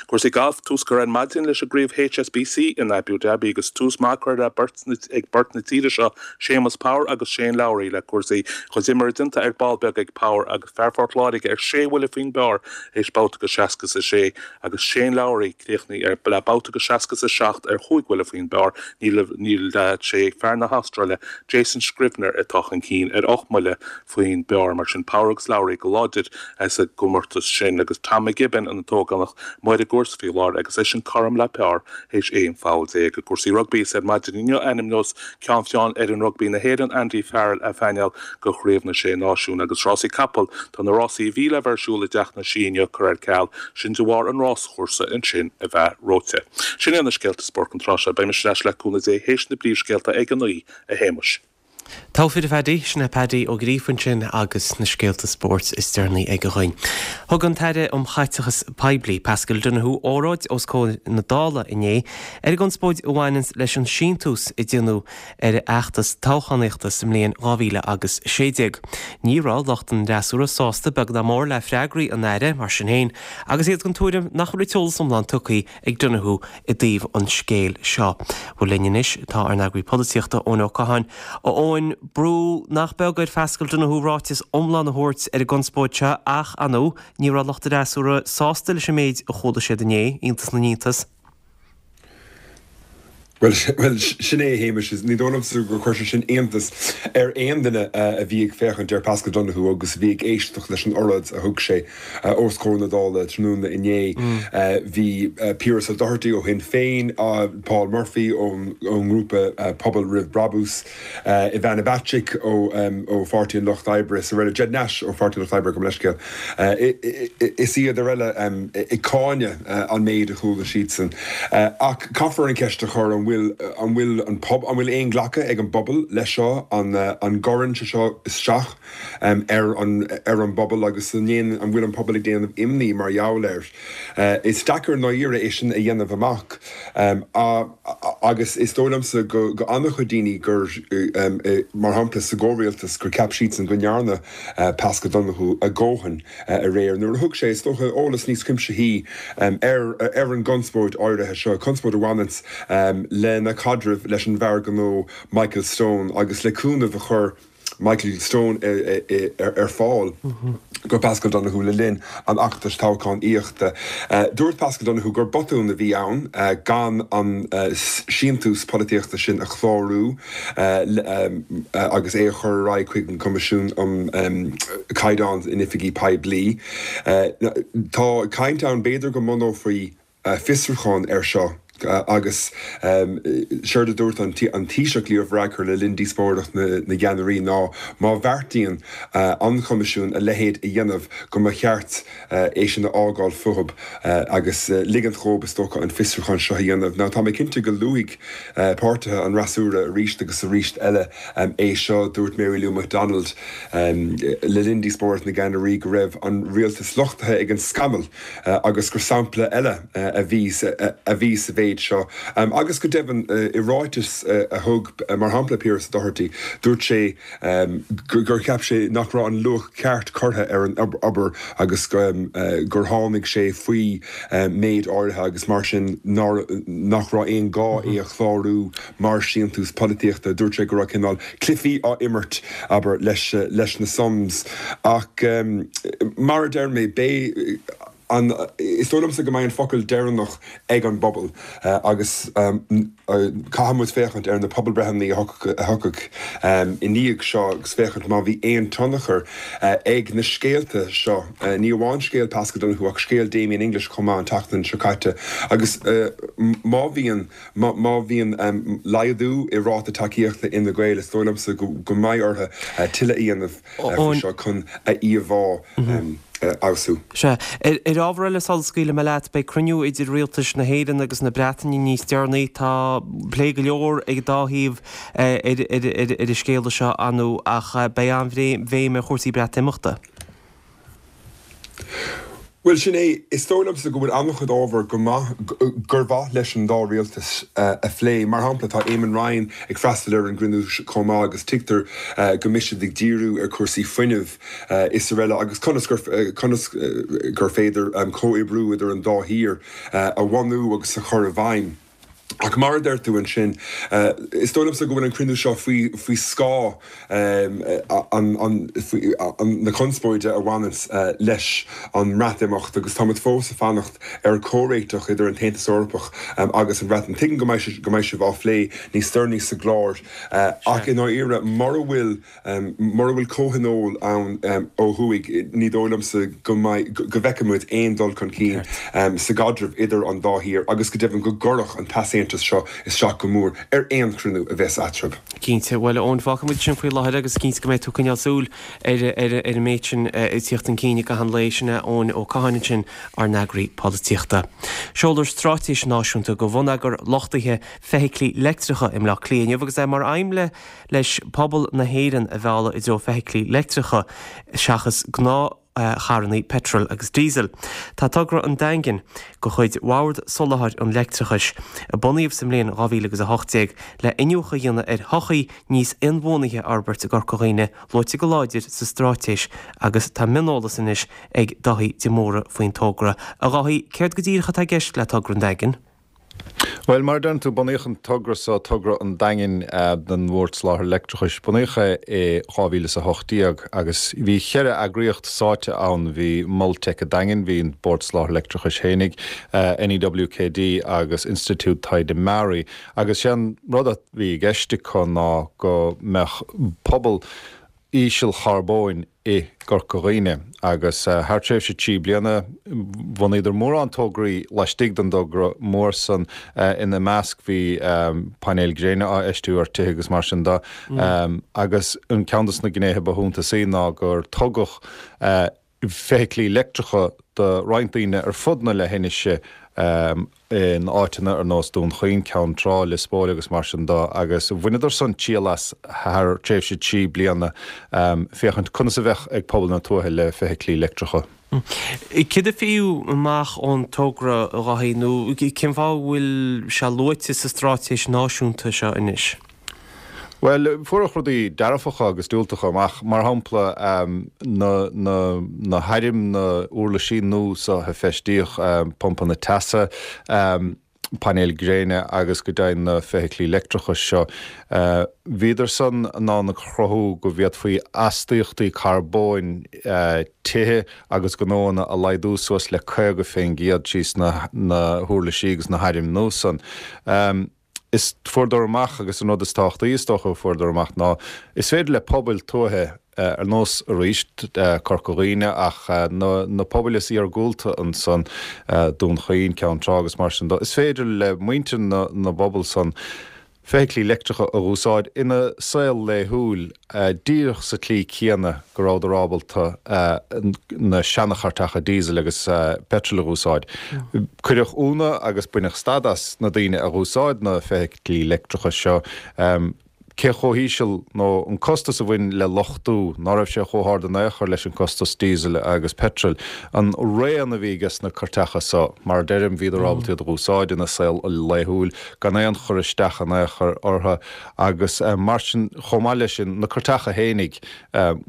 Cúrsaí Gailf, Tús curtha ar maidin leis an gcraobh HSBC in Abu Dhabi agus tús maith curtha le beirt ag beirt na tíre seo, Séamus Power agus Shane Lowry le cúrsaí. Cuid imeartha déanta ar ball beag ag Power agus fear Phort Láirge ar sé bhuille faoin bpar théis babhta go seasca is a sé agus Shane Lowry críochnaithe le babhta go seasca is a seacht ar chúig bhuille faoin bpar. Níl níl sé fear na hAstráile Jason Scrivener atá chun cinn ar ocht mbuille faoin bpar mar sin Power agus Lowry go láidir sa gcomórtas sin agus Tom McGibbon an t-ógánach amuigh ar an gcúrsa faoi láthair agus eisean cothrom le par théis aon pholl déag. I gcúrsaí rugbaí is ar maidin inniu a ainmneos Ceann Feadhain fhoireann rugbaí na hÉireann Andy Farrell a phainéal do Chraobh na Sé Náisiún agus rásaí capall tá na rásaí a bhí le bheith ar siúl i dTeach na Sí inniu curtha ar ceal, sin de bharr an ráschúrsa ansin a bheith reoite. Sin iad na scéalta spóirt an tráth seo. Beidh mise ar ais le cúnamh Dé théis na bpríomhscéalta ag a naoi, a Shéamais. Togha fir a Phaddy, sin é Paddy Ó Gríofa ansin agus na scéalta spóirt is deireanaí aige dhuinn. Thug an tAire um Chaiteachas Poiblí, Paschal Donohoe, óráid os comhair na Dála inné ar an gconspóid a bhaineanns leis an síntiús a déanadh ar a fheachtas toghchánaíochta sa mbliain dhá mhíle agus sé déag. Ní raibh lucht an fhreasúra sásta beag ná mór le freagraí an Aire, mar sin féin, agus iad den tuairim nach raibh an t-eolas iomlán tugtha ag Donohoe i dtaobh an scéil seo. Bhuel linn anois tá ár n-eagraí polaitíochta Eoin Ó Catháin. A Eoin, brú nach beag ar Phaschal Donohoe ráiteas iomlán a thabhairt ar an gconspóid seo ach, ar ndóigh, ní raibh lucht an fhreasúra sásta leis an méid a chuala siad inné, iontas na n-iontas. Bhuel, sin é a Shéamais, ní dóigh liomsa gur chuir sé sin iontas ar aon duine a bhí ag féachaint ar Paschal Donohoe agus a bhí ag éisteacht leis an oráid a thug sé os comhair na Dála tráthnóna inné. Bhí Piaras Ó Dochartaigh ó Shinn Féin, Paul Murphy ón ngrúpa Pobal Roimh Brabús, Ivana Bacik ó Pháirtí an Lucht Oibre is araile, Ged Nash ó Pháirtí an Lucht Oibre, gabh mo leithscéal, is iad araile ag cáineadh an méid a chuala siadsan. Ach caithfear an cheist a chur, an bhfuil an bhfuil an pob an bhfuil aon ghlacadh ag an bpobal leis seo, an an gcuireann sé seo isteach ar an ar an bpobal agus an ndéan an bhfuil an pobal ag déanamh imní mar gheall air? Is deacair i ndáiríre é sin a dhéanamh amach agus is dóigh liomsa go go an-chuid daoine gur mar shampla sa gcomhrialtas gur cheap siadsan go ndearna Paschal Donohoe a dhóthain aréir nuair a thug sé, is dócha, eolas níos cuimsithí ar ar an gconspóid áirithe seo, conspóid a bhaineanns lena chaidreamh leis an bhfear gnó Michael Stone agus le cúnamh a chuir Michael Stone ar fáil go Paschal Donohoe le linn an fheachtais toghchánaíochta. Dúirt Paschal Donohoe gur botún a bhí ann gan an síntiús polaitíochta sin a chlárú agus é a chur ar aghaidh chuig an Coimisiún um Chaighdeáin in Oifigí Poiblí. Tá caint ann b'fhéidir go mbunófaí fiosrúchán air seo agus séard a dúirt an Taoiseach Leo Varadkar le linn díospóireacht na gceannairí ná má bheartaíonn an Coimisiún a leithéid a dhéanamh go mba cheart é sin a fhágáil fúthu agus ligint dhóibh is dócha an fiosrúchán seo a dhéanamh. Now tá mé cinnte go luafaidh páirtithe an fhreasúra arís agus arís eile é seo. Dúirt Mary Lou McDonald le linn díospóireacht na gceannairí go raibh an rialtas lochtaithe ag an scannal agus gur sampla eile a bhí a bhí sa mhéid seo. Agus go deimhin i ráiteas a thug mar shampla Pearse Doherty dúirt sé gur cheap sé nach raibh an luach ceart curtha ar an obair agus gur tháinig sé faoi méid áirithe agus mar sin nach raibh aon ghá é a chlárú mar síntiús polaitíochta. Dúirt sé go raibh cineál cluichí á imirt, abair, leis leis na sums. Ach mar a deir mé, beidh. an, is dóigh liomsa go mbeidh an focal deireanach ag an bpobal agus caithfidh muid féachaint ar na pobalbreitheanna a thiocfaidh i ndiaidh seo agus féachaint má bhí aon tionchar ag na scéalta seo, ní amháin scéal Paschal Donohoe ach scéal Damien English chomh maith an tseachtain seo caite agus má bhíonn, má bhíonn laghdú i ráta tacaíochta Fhine Gael is dóigh liomsa go mbeidh orthu tuilleadh a dhéanamh faoi seo chun a íomhá a fheabhsú. Sea. Ar ábhar eile sula scaoilfidh mé leat, beidh cruinniú idir rialtais na hÉireann agus na Breataine níos deireanaí. Tá plé go leor ag an dá thaobh ar an scéala seo, ar ndóigh, ach beidh an-bhéim ar chúrsaí Breatimeachta. Bhuel, sin é. Is dóigh liomsa go bhfuil an-chuid ábhar go maith, gur mhaith leis an dá rialtas a phlé. Mar shampla, tá Eamon Ryan ag freastal ar an gcruinniú chomh maith agus tuigtear go mbeidh siad ag díriú ar chúrsaí fuinnimh is araile agus conas gur, conas gur féidir comhoibriú idir an dá thír a bhunú agus a chur i bhfeidhm. Ach mar a deir tú ansin, is dóigh liomsa go bhfuil an cruinniú seo faoi faoi scáth na conspóide a bhaineanns leis an mBreatimeacht agus táimid fós ag fanacht ar chomhréiteach idir an tAontas Eorpach agus an Bhreatain. Tuigim go mbeidh go mbeidh sibh á phlé níos deireanaí sa gclár ach i ndáiríre mura bhfuil Mura bhfuil comhthionól ann ó thuaidh, ní dóigh liomsa go mbeidh, go bhfeicfidh muid aon dul chun cinn sa gcaidreamh idir an dá thír agus go deimhin go gcuirfeadh an t-easaontas seo isteach go mór ar aon chruinniú a bheas eatarthu. Cinnte. Bhuel, a Eoin, fágfaidh muid sin faoi láthair agus cinnte go mbeidh tú ag coinneáil súil ar ar an méid sin ag tíocht chun cinn i gcaitheamh an lae. Sin é Eoin Ó Catháin ansin, ár n-eagraí polaitíochta. Seolfar straitéis náisiúnta do bhonneagar luchtaithe feithiclí leictreacha i mBleá Cliath inniu agus é mar aidhm le leis pobal na hÉireann a mhealladh i dtreo feithiclí leictreacha seachas gnáthcharrannaí peitril agus díosail. Tá togra an Daingin de chuid Bhord Soláthair an Leictreachais, a bunaíodh sa mbliain dhá mhíle agus a hocht déag le iniúchadh a dhéanamh ar shochaí níos inbhuanaithe a fhorbairt i gCorca Dhuibhne, luaite go láidir sa straitéis agus tá mioneolas anois ag Dáithí de Mórdha faoin togra. A Dháithí, céard go díreach atá i gceist le togra an Daingin? Bhuel, mar a deireann tú, bunaíodh an togra seo, Togra an Daingin don Bhord Soláthair Leictreachais, bunaíodh é i dhá mhíle is a hocht déag agus bhí cheithre eagraíocht sáite ann, bhí Mol Teic an Daingin, bhí an Bord Soláthair Leictreachais fhéinig, NEWKD agus Institiúid Taighde MARI agus sé an rud a bhí i gceist acu ná go mbeadh pobal ísealcharbóin i gCorca Dhuibhne agus thar tréimhse trí bliana bhunaíodar mórán tograí laistigh den dtogra mór san. Ina measc bhí painéil gréine á fheistiú ar tithe agus mar sin de agus an ceann de na gnéithe ba shuntasaí ná gur tugadh feithiclí leictreacha do roinnt daoine ar fud na leithinise in áiteanna ar nós Dún Chaoin, Ceann Trá, Lios Póil agus mar sin de agus bhaineadar san triail as thar tréimhse trí bliana féachaint conas a bheadh ag pobal na tuaithe le feithiclí leictreacha. Céard a faigheadh amach ón togra, a Dháithí, nó cén fáth a bhfuil sé luaite sa straitéis náisiúnta seo anois? Bhuel, fuaireadh rudaí dearfacha agus diúltacha amach. Mar shampla, na, na, na hairm, na huirlisí nua so a feistíodh, pumpanna teasa, painéil gréine agus go deimhin na feithiclí leictreacha seo. Bhíodar san in ann a chruthú go bhféadfaí astaíochtaí carbóin tithe agus gnóanna a laghdú suas le caoga fén gcéad trí sna, na huirlisí agus na hairm nua san. Is fuaireadar amach, agus an rud is tábhachtaí is dócha a fuaireadar amach ná, is féidir le pobail tuaithe, ar nós arís Corca Dhuibhne ach na pobail is iargúlta ansan, Dún Chaoin, Ceann Trá agus mar sin de, is féidir le muintir na bpobal san feithiclí leictreacha a dh'úsáid ina saol laethúil díreach sa tslí céanna go rabhadar ábalta na seana-chairteacha diesel agus peitril a dh'úsáid. Cuireadh ionadh agus baineadh stad as na daoine a dh'úsáid na feithiclí leictreacha seo cé chomh híseal nó an costas a bhain le luchtú, ná raibh sé chomh hard in aon chor leis an costas diesel agus peitril. An raon a bhí ages na cairteacha so, mar a deirim, bhíodar ábalta iad a dh'úsáid ina saol laethúil gan aon chur isteach in aon chor orthu agus mar sin, chomh maith leis sin, na cairteacha fhéinig,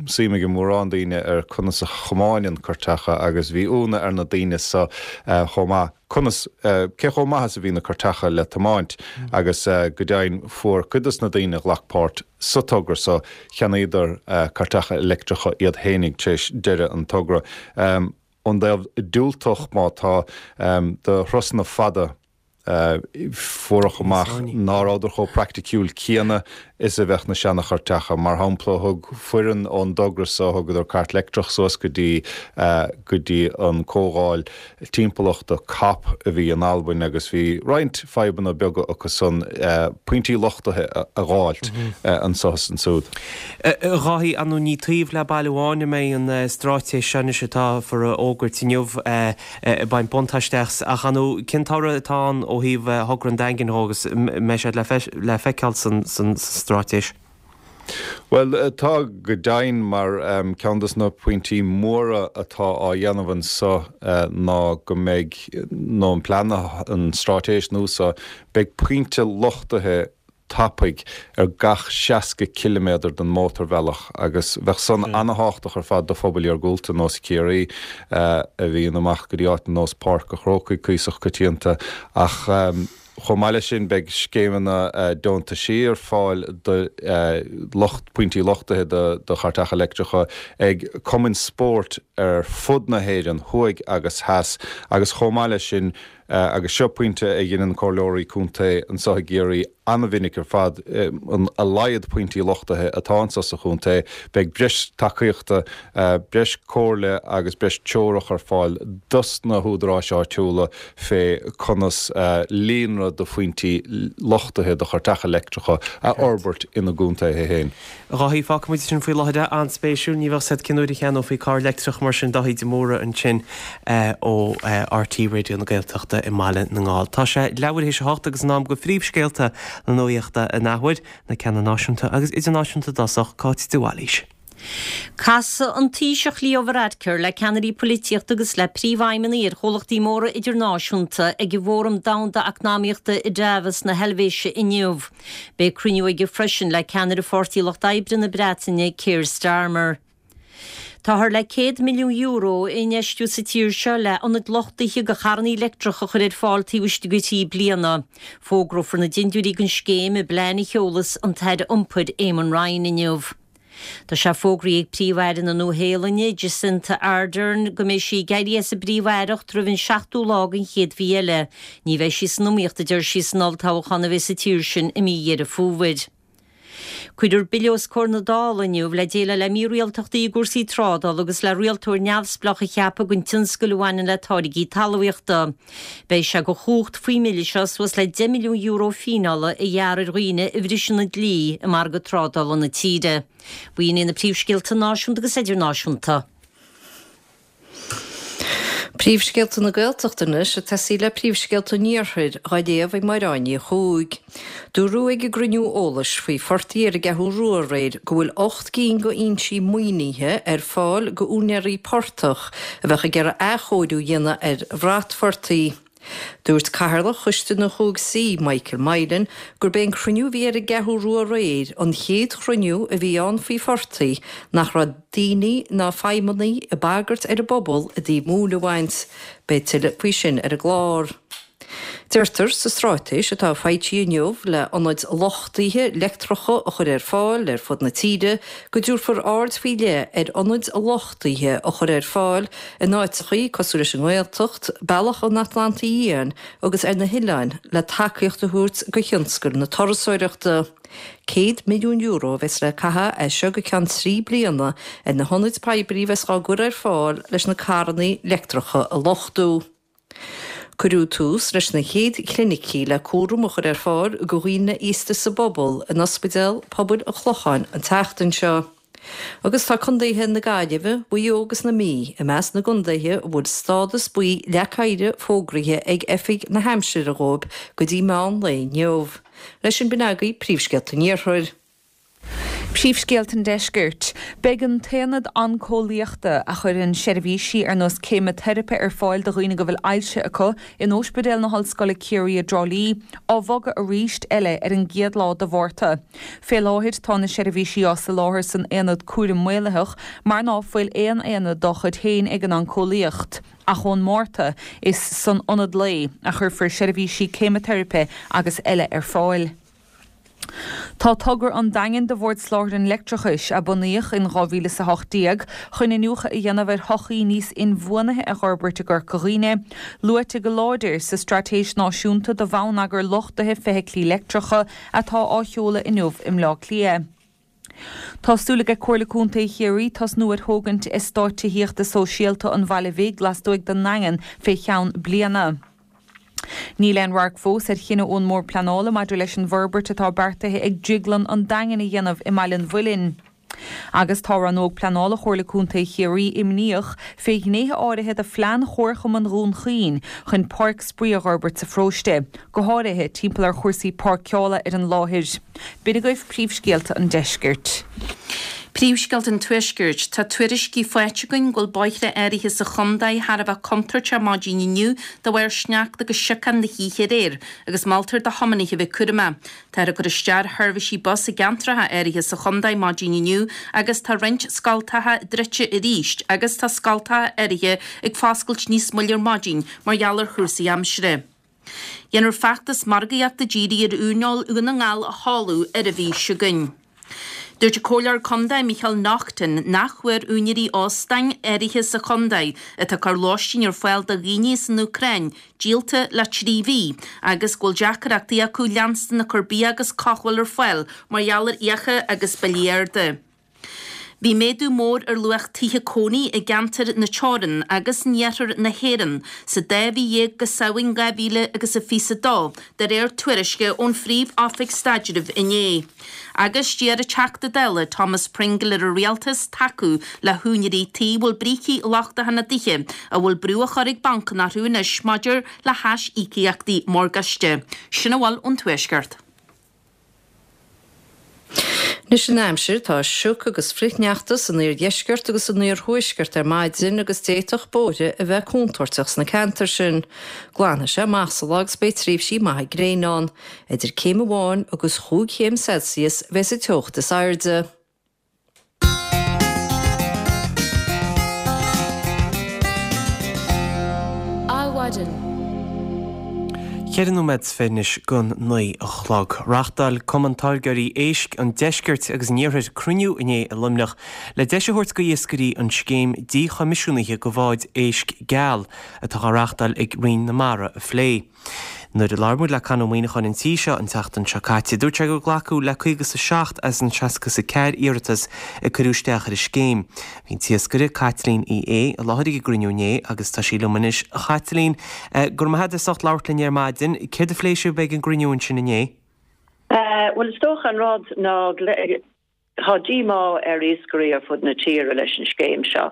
suim ag mórán daoine ar conas a chomáineann cairteacha agus bhí ionadh ar na daoine so chomh maith. conas, cé chomh maith is a bhí na cairteacha le tiomáint agus go deimhin fuair cuid dos na daoine a ghlac páirt sa togra so, cheannaíodar cairteacha leictreacha iad fhéinig tar éis deireadh an togra. Ón dtaobh diúltach má tá do thurasanna fada, fuaireadh amach ná rabhadar chomh praiticiúil céanna is a bheadh na seanachairteacha. Mar shampla, thug foireann ón dtogra so, thugadar cairt leictreach suas go dtí go dtí an comhdháil timpeallachta cop a bhí in Albain agus bhí roinnt fadhbanna beaga acu san pointí luchtaithe a dh'fháilt anso is ansúd. A Dháithí, ar ndóigh ní taobh le baile amháin a mbeidh an straitéis seo anois atáthar a fhógairt inniu ag baint buntáiste as, ach ar ndóigh cén toradh atá ann ó thaobh thogra an Daingin dhó agus mbeidh sé le feiceáil san straitéis? Bhuel, tá go deimhin, mar ceann de na pointí móra atá á dhéanamh anso ná go mbeidh, nó an plean, an straitéis nua so, beidh pointe luchtaithe tapaidh ar gach seasca ciliméadar den mótarbhealach agus bheadh san ana-thábhachtach ar fad do phobail iargúlta nós Ciarraí a bhíonn amach go dtí áit nós Páirc a' Chrócaigh cuíosach coitianta ach chomh maith leis sin beidh scéimeanna deontaisí ar fáil do lucht pointí luchtaithe do chairteacha leictreacha ag cumainn spóirt ar fud na hÉireann, thuaidh agus theas agus chomh maith leis sin Agus seo pointe a dheineann comhairleoirí contae anso i gCiarraí an-mhinic ar fad, a laghad pointí luchtaithe atá anso sa chontae, beidh breis tacaíochta, breis comhairle agus breis treorach ar fáil dos na húdaráis áitiúla fé conas líonra de phointí luchtaithe do chairteacha leictreacha a fhorbairt ina gcontaetha féin. A Dháithí, fágfaidh muid sin faoi láthair é. An-spéisiúil. Ní bheadh a fhios agat cén uair a cheannófaí carr leictreach mar sin Dáithí de Mórdha ansin ó RTÉ Raidió na Gaeltachta i mBaile na nGall. Tá sé leathuair théis a hocht agus in am do phríomhscéalta na nuaíochta an athuair, na ceanna náisiúnta agus idirnáisiúnta i dtosach, Cáit de Bhailís. Casfaidh an Taoiseach Leo Varadkar le ceannairí polaitíochta agus le príomhfheidhmeannaigh ar chomhlachtaí móra idirnáisiúnta ag an bhFóram Domhanda Eacnamaíochta i Davos na hEilvéise inniu. Beidh cruinniú aige freisin le ceannaire Pháirtí Lucht Oibre na Breataine, Keir Starmer. Táthar le céad milliún euro a infheistiú sa tír seo le ionaid luchtaithe do charranna leictreacha a chur ar fáil taobh istigh de thrí bliana. Fógrófar na dindiúirí don scéim i bplean a sheolfas an tAire Iompair Eamon Ryan inniu. Tá sé fógraithe ag Príomh-Aire na Nua-Shéalainne, Jacinda Ardern, go mbeidh sí ag éirí as an bPríomh-Aireacht roimh an seachtú lá den chéad mhí eile. Ní bheidh sí san iomaíocht, a deir sí, san olltoghchán a bheidh sa tír sin i mí Dheireadh Fómhair. Cuirfear bille os comhair na Dála inniu le déileáil le mírialtachtaí i gcúrsaí trádála agus le rialtóir neamhspleách a cheapadh don tionscal a bhaineann le táirgí talmhaíochta. Beidh sé de chumhacht faoin mbille seo suas le deich milliún euro fíneála a ghearradh ar dhaoine a bhriseann an dlí i margadh trádála na tíre. B'in iad na príomhscéalta náisiúnta agus idirnáisiúnta. Príomhscéalta na Gaeltachta anois ag tosaí le príomhscéalta an Iarthair, dhá léamh ag Máire Áine Ní Chuaig. Dúradh ag an gcruinniú eolais faoi phortaigh ar an gCeathrú Rua aréir go bhfuil ocht gcinn d'fhoinsí maoinithe ar fáil d'úinéirí portach a bheadh ag iarraidh athchóiriú a dhéanamh ar bhratphortaigh. Dúirt Cathaoirleach Choiste na Chúig Suí, Michael Moylan, gurb é an cruinniú a bhí ar an gCeathrú Rua aréir an chéad chruinniú a bhí ann faoi phortaigh nach raibh daoine ná feidhmeannaigh ag bagairt ar an bpobal i dtaobh móin a bhaint. Beidh tuilleadh faoi sin ar an gclár. Deirtear sa straitéis atá foilsithe inniu le ionaid luchtaithe leictreacha a chur ar fáil ar fud na tíre go dtabharfar aird faoi leith ar ionaid luchtaithe a chur ar fáil in áiteachaí cosúil leis an nGaeltacht, Bealach an Atlantaigh Fhiáin agus ar na hoileáin le tacaíocht a thabhairt do thionscal na turasóireachta. Céad milliún euro a bheas le caitheamh as seo go ceann trí bliana ar na hionaid poiblí a bheas á gcur ar fáil leis na carranna leictreacha a luchtú. Cuireadh tús leis na chéad chlinicí le cúram a chur ar fáil do dhaoine aosta sa bpobal in Ospidéal Pobail an Chlocháin an tseachtain seo. Agus tá contaetha na Gaillimhe, Mhaigh Eo agus na Mí i measc na gcontaetha a bhfuil stádas buí leac oighir fógraithe ag Oifig na hAimsire dhóibh go dtí meán lae inniu. Leis sin b'in agaibh príomhscéalta an Iarthair. Príomhscéalta an Deiscirt. Beidh an tAonad Oncólaíochta, a chuireann seirbhísí ar nós ceimiteiripe ar fáil do dhaoine go bhfuil ailse acu, in Ospidéal na hOllscoile Ciarraí i dTrá Lí, á bhogadh arís eile ar an gcéad lá de Mhárta. Fé láthair tá na seirbhísí á soláthar san Aonad Cúraim Maolaitheach mar ná fuil aon aonad dá chuid féin ag an Oncólaíocht. Ach ón Márta, is san Ionad Lae a chuirfear seirbhísí ceimiteiripe agus eile ar fáil. Tá togra an Daingin do Bhord Soláthair an Leictreachais, a bunaíodh in dhá mhíle is a hocht déag chun iniúchadh a dhéanamh ar shochaí níos inbhuanaithe a dh'fhorbairt i gCorca Dhuibhne, luaite go láidir sa Straitéis Náisiúnta do Bhonneagar Luchtaithe Feithiclí Leictreacha atá á sheoladh inniu i mBleá Cliath. Tá súil ag Comhairle Contae Chiarraí tosnú ar thógaint eastát tithíochta sóisialta an Bhaile Bhig lastuaidh den nDaingean fé cheann bliana. Níl aon radharc fós ar chinneadh ón mBord Pleanála maidir leis an bhforbairt atá beartaithe ag Drioglann an Daingin a dhéanamh i mBaile an Mhuilinn. Agus tá Rannóg Pleanála Chomhairle Contae Chiarraí imníoch fé ghnéithe áirithe de phlean Chomharchumann Dhún Chaoin chun páirc spraoi a dh'fhorbairt sa pharóiste, go háirithe timpeall ar chúrsaí páirceála ar an láthair. B'in agaibh príomhscéalta an deiscirt. Príomhscéalta an Tuaiscirt. Tá tuairiscí faighte againn go bhfuil bóithre áirithe sa chontae thar a bheith contúirteach maidin inniu de bharr sneachta agus siocán na hoíche aréir agus moltar do thiománaithe a bheith cúramach. Táthar ag cur isteach ar sheirbhísí bus i gceantracha áirithe sa chontae maidin inniu agus tá roinnt scoltacha druidte arís agus tá scoltacha áirithe ag foscailt níos moille ar maidin mar gheall ar chúrsaí aimsire. Déanfar feachtas margaíochta dírithe ar uaineoil Dhún na nGall a sheoladh ar an mhí seo chugainn. Dúirt an Comhairleoir Contae Micheál Naughton nach bhfuair úinéirí óstáin áirithe sa chontae atá ag cur lóistín ar fáil do dhaoine as an Úcráin díolta le trí mhí agus go bhfuil deacrachtaí acu leanstan ag cur bia agus cothabháil ar fáil mar gheall ar fhiacha agus billí arda. Bhí méadú mór ar luach tithe cónaí i gceantar na Teorann agus in iarthar na hÉireann sa dá mhí dhéag go Samhain dhá mhíle agus a fiche a dó, de réir tuairisce ón Phríomh-Oifig Staidrimh inné. Agus d'iarr an Teachta Dála Thomas Pringle ar an Rialtas tacú le húinéirí tí a bhfuil brící lochtacha ina dtithe, a bhfuil brú á chur ag bancanna orthu anois maidir le haisíocaíochtaí morgáiste. Sin a bhfuil ón Tuaisceart. Anois an aimsir, tá sioc agus frithshneachta san iardheisceart agus san iarthuaisceart ar maidin agus d'fhéadfadh bóithre a bheith contúirteach sna ceantair sin. Glanfaidh sé amach sa lá agus beidh tréimhsí maithe gréine ann. Idir céim amháin agus chúig chéim Celsius a bheas an teocht is airde. Adhmhaidin. Ceithre nóiméad is fiche anois don naoi a chlog. Reáchtáil Cumann Táirgeoirí Éisc an Deiscirt agus an Iarthair cruinniú inné i Luimneach le deis a thabhairt do iascairí an scéim díchoimisiúnaithe do bháid éisc geal atá á reáchtáil ag Roinn na Mara a phlé. Nuair a labhair muid le Con Ó Muíneacháin an tí seo an tseachtain seo caite, dúirt sé gur glacadh le caoga is a seacht as an seasca is a ceathair iarratas a cuireadh isteach ar an scéim. Bhí an t-iascaire, Caitlín Uí Aodha, i láthair ag an gcruinniú inné agus tá sí liom anois. A Chaitlín, go raibh maith agat as ucht labhairt linn ar maidin. Céard a phléigh sibh ag an gcruinniú ansin inné? Bhuel, is dócha an rud ná tá díomá ar iascairí ar fud na tíre leis an scéim seo.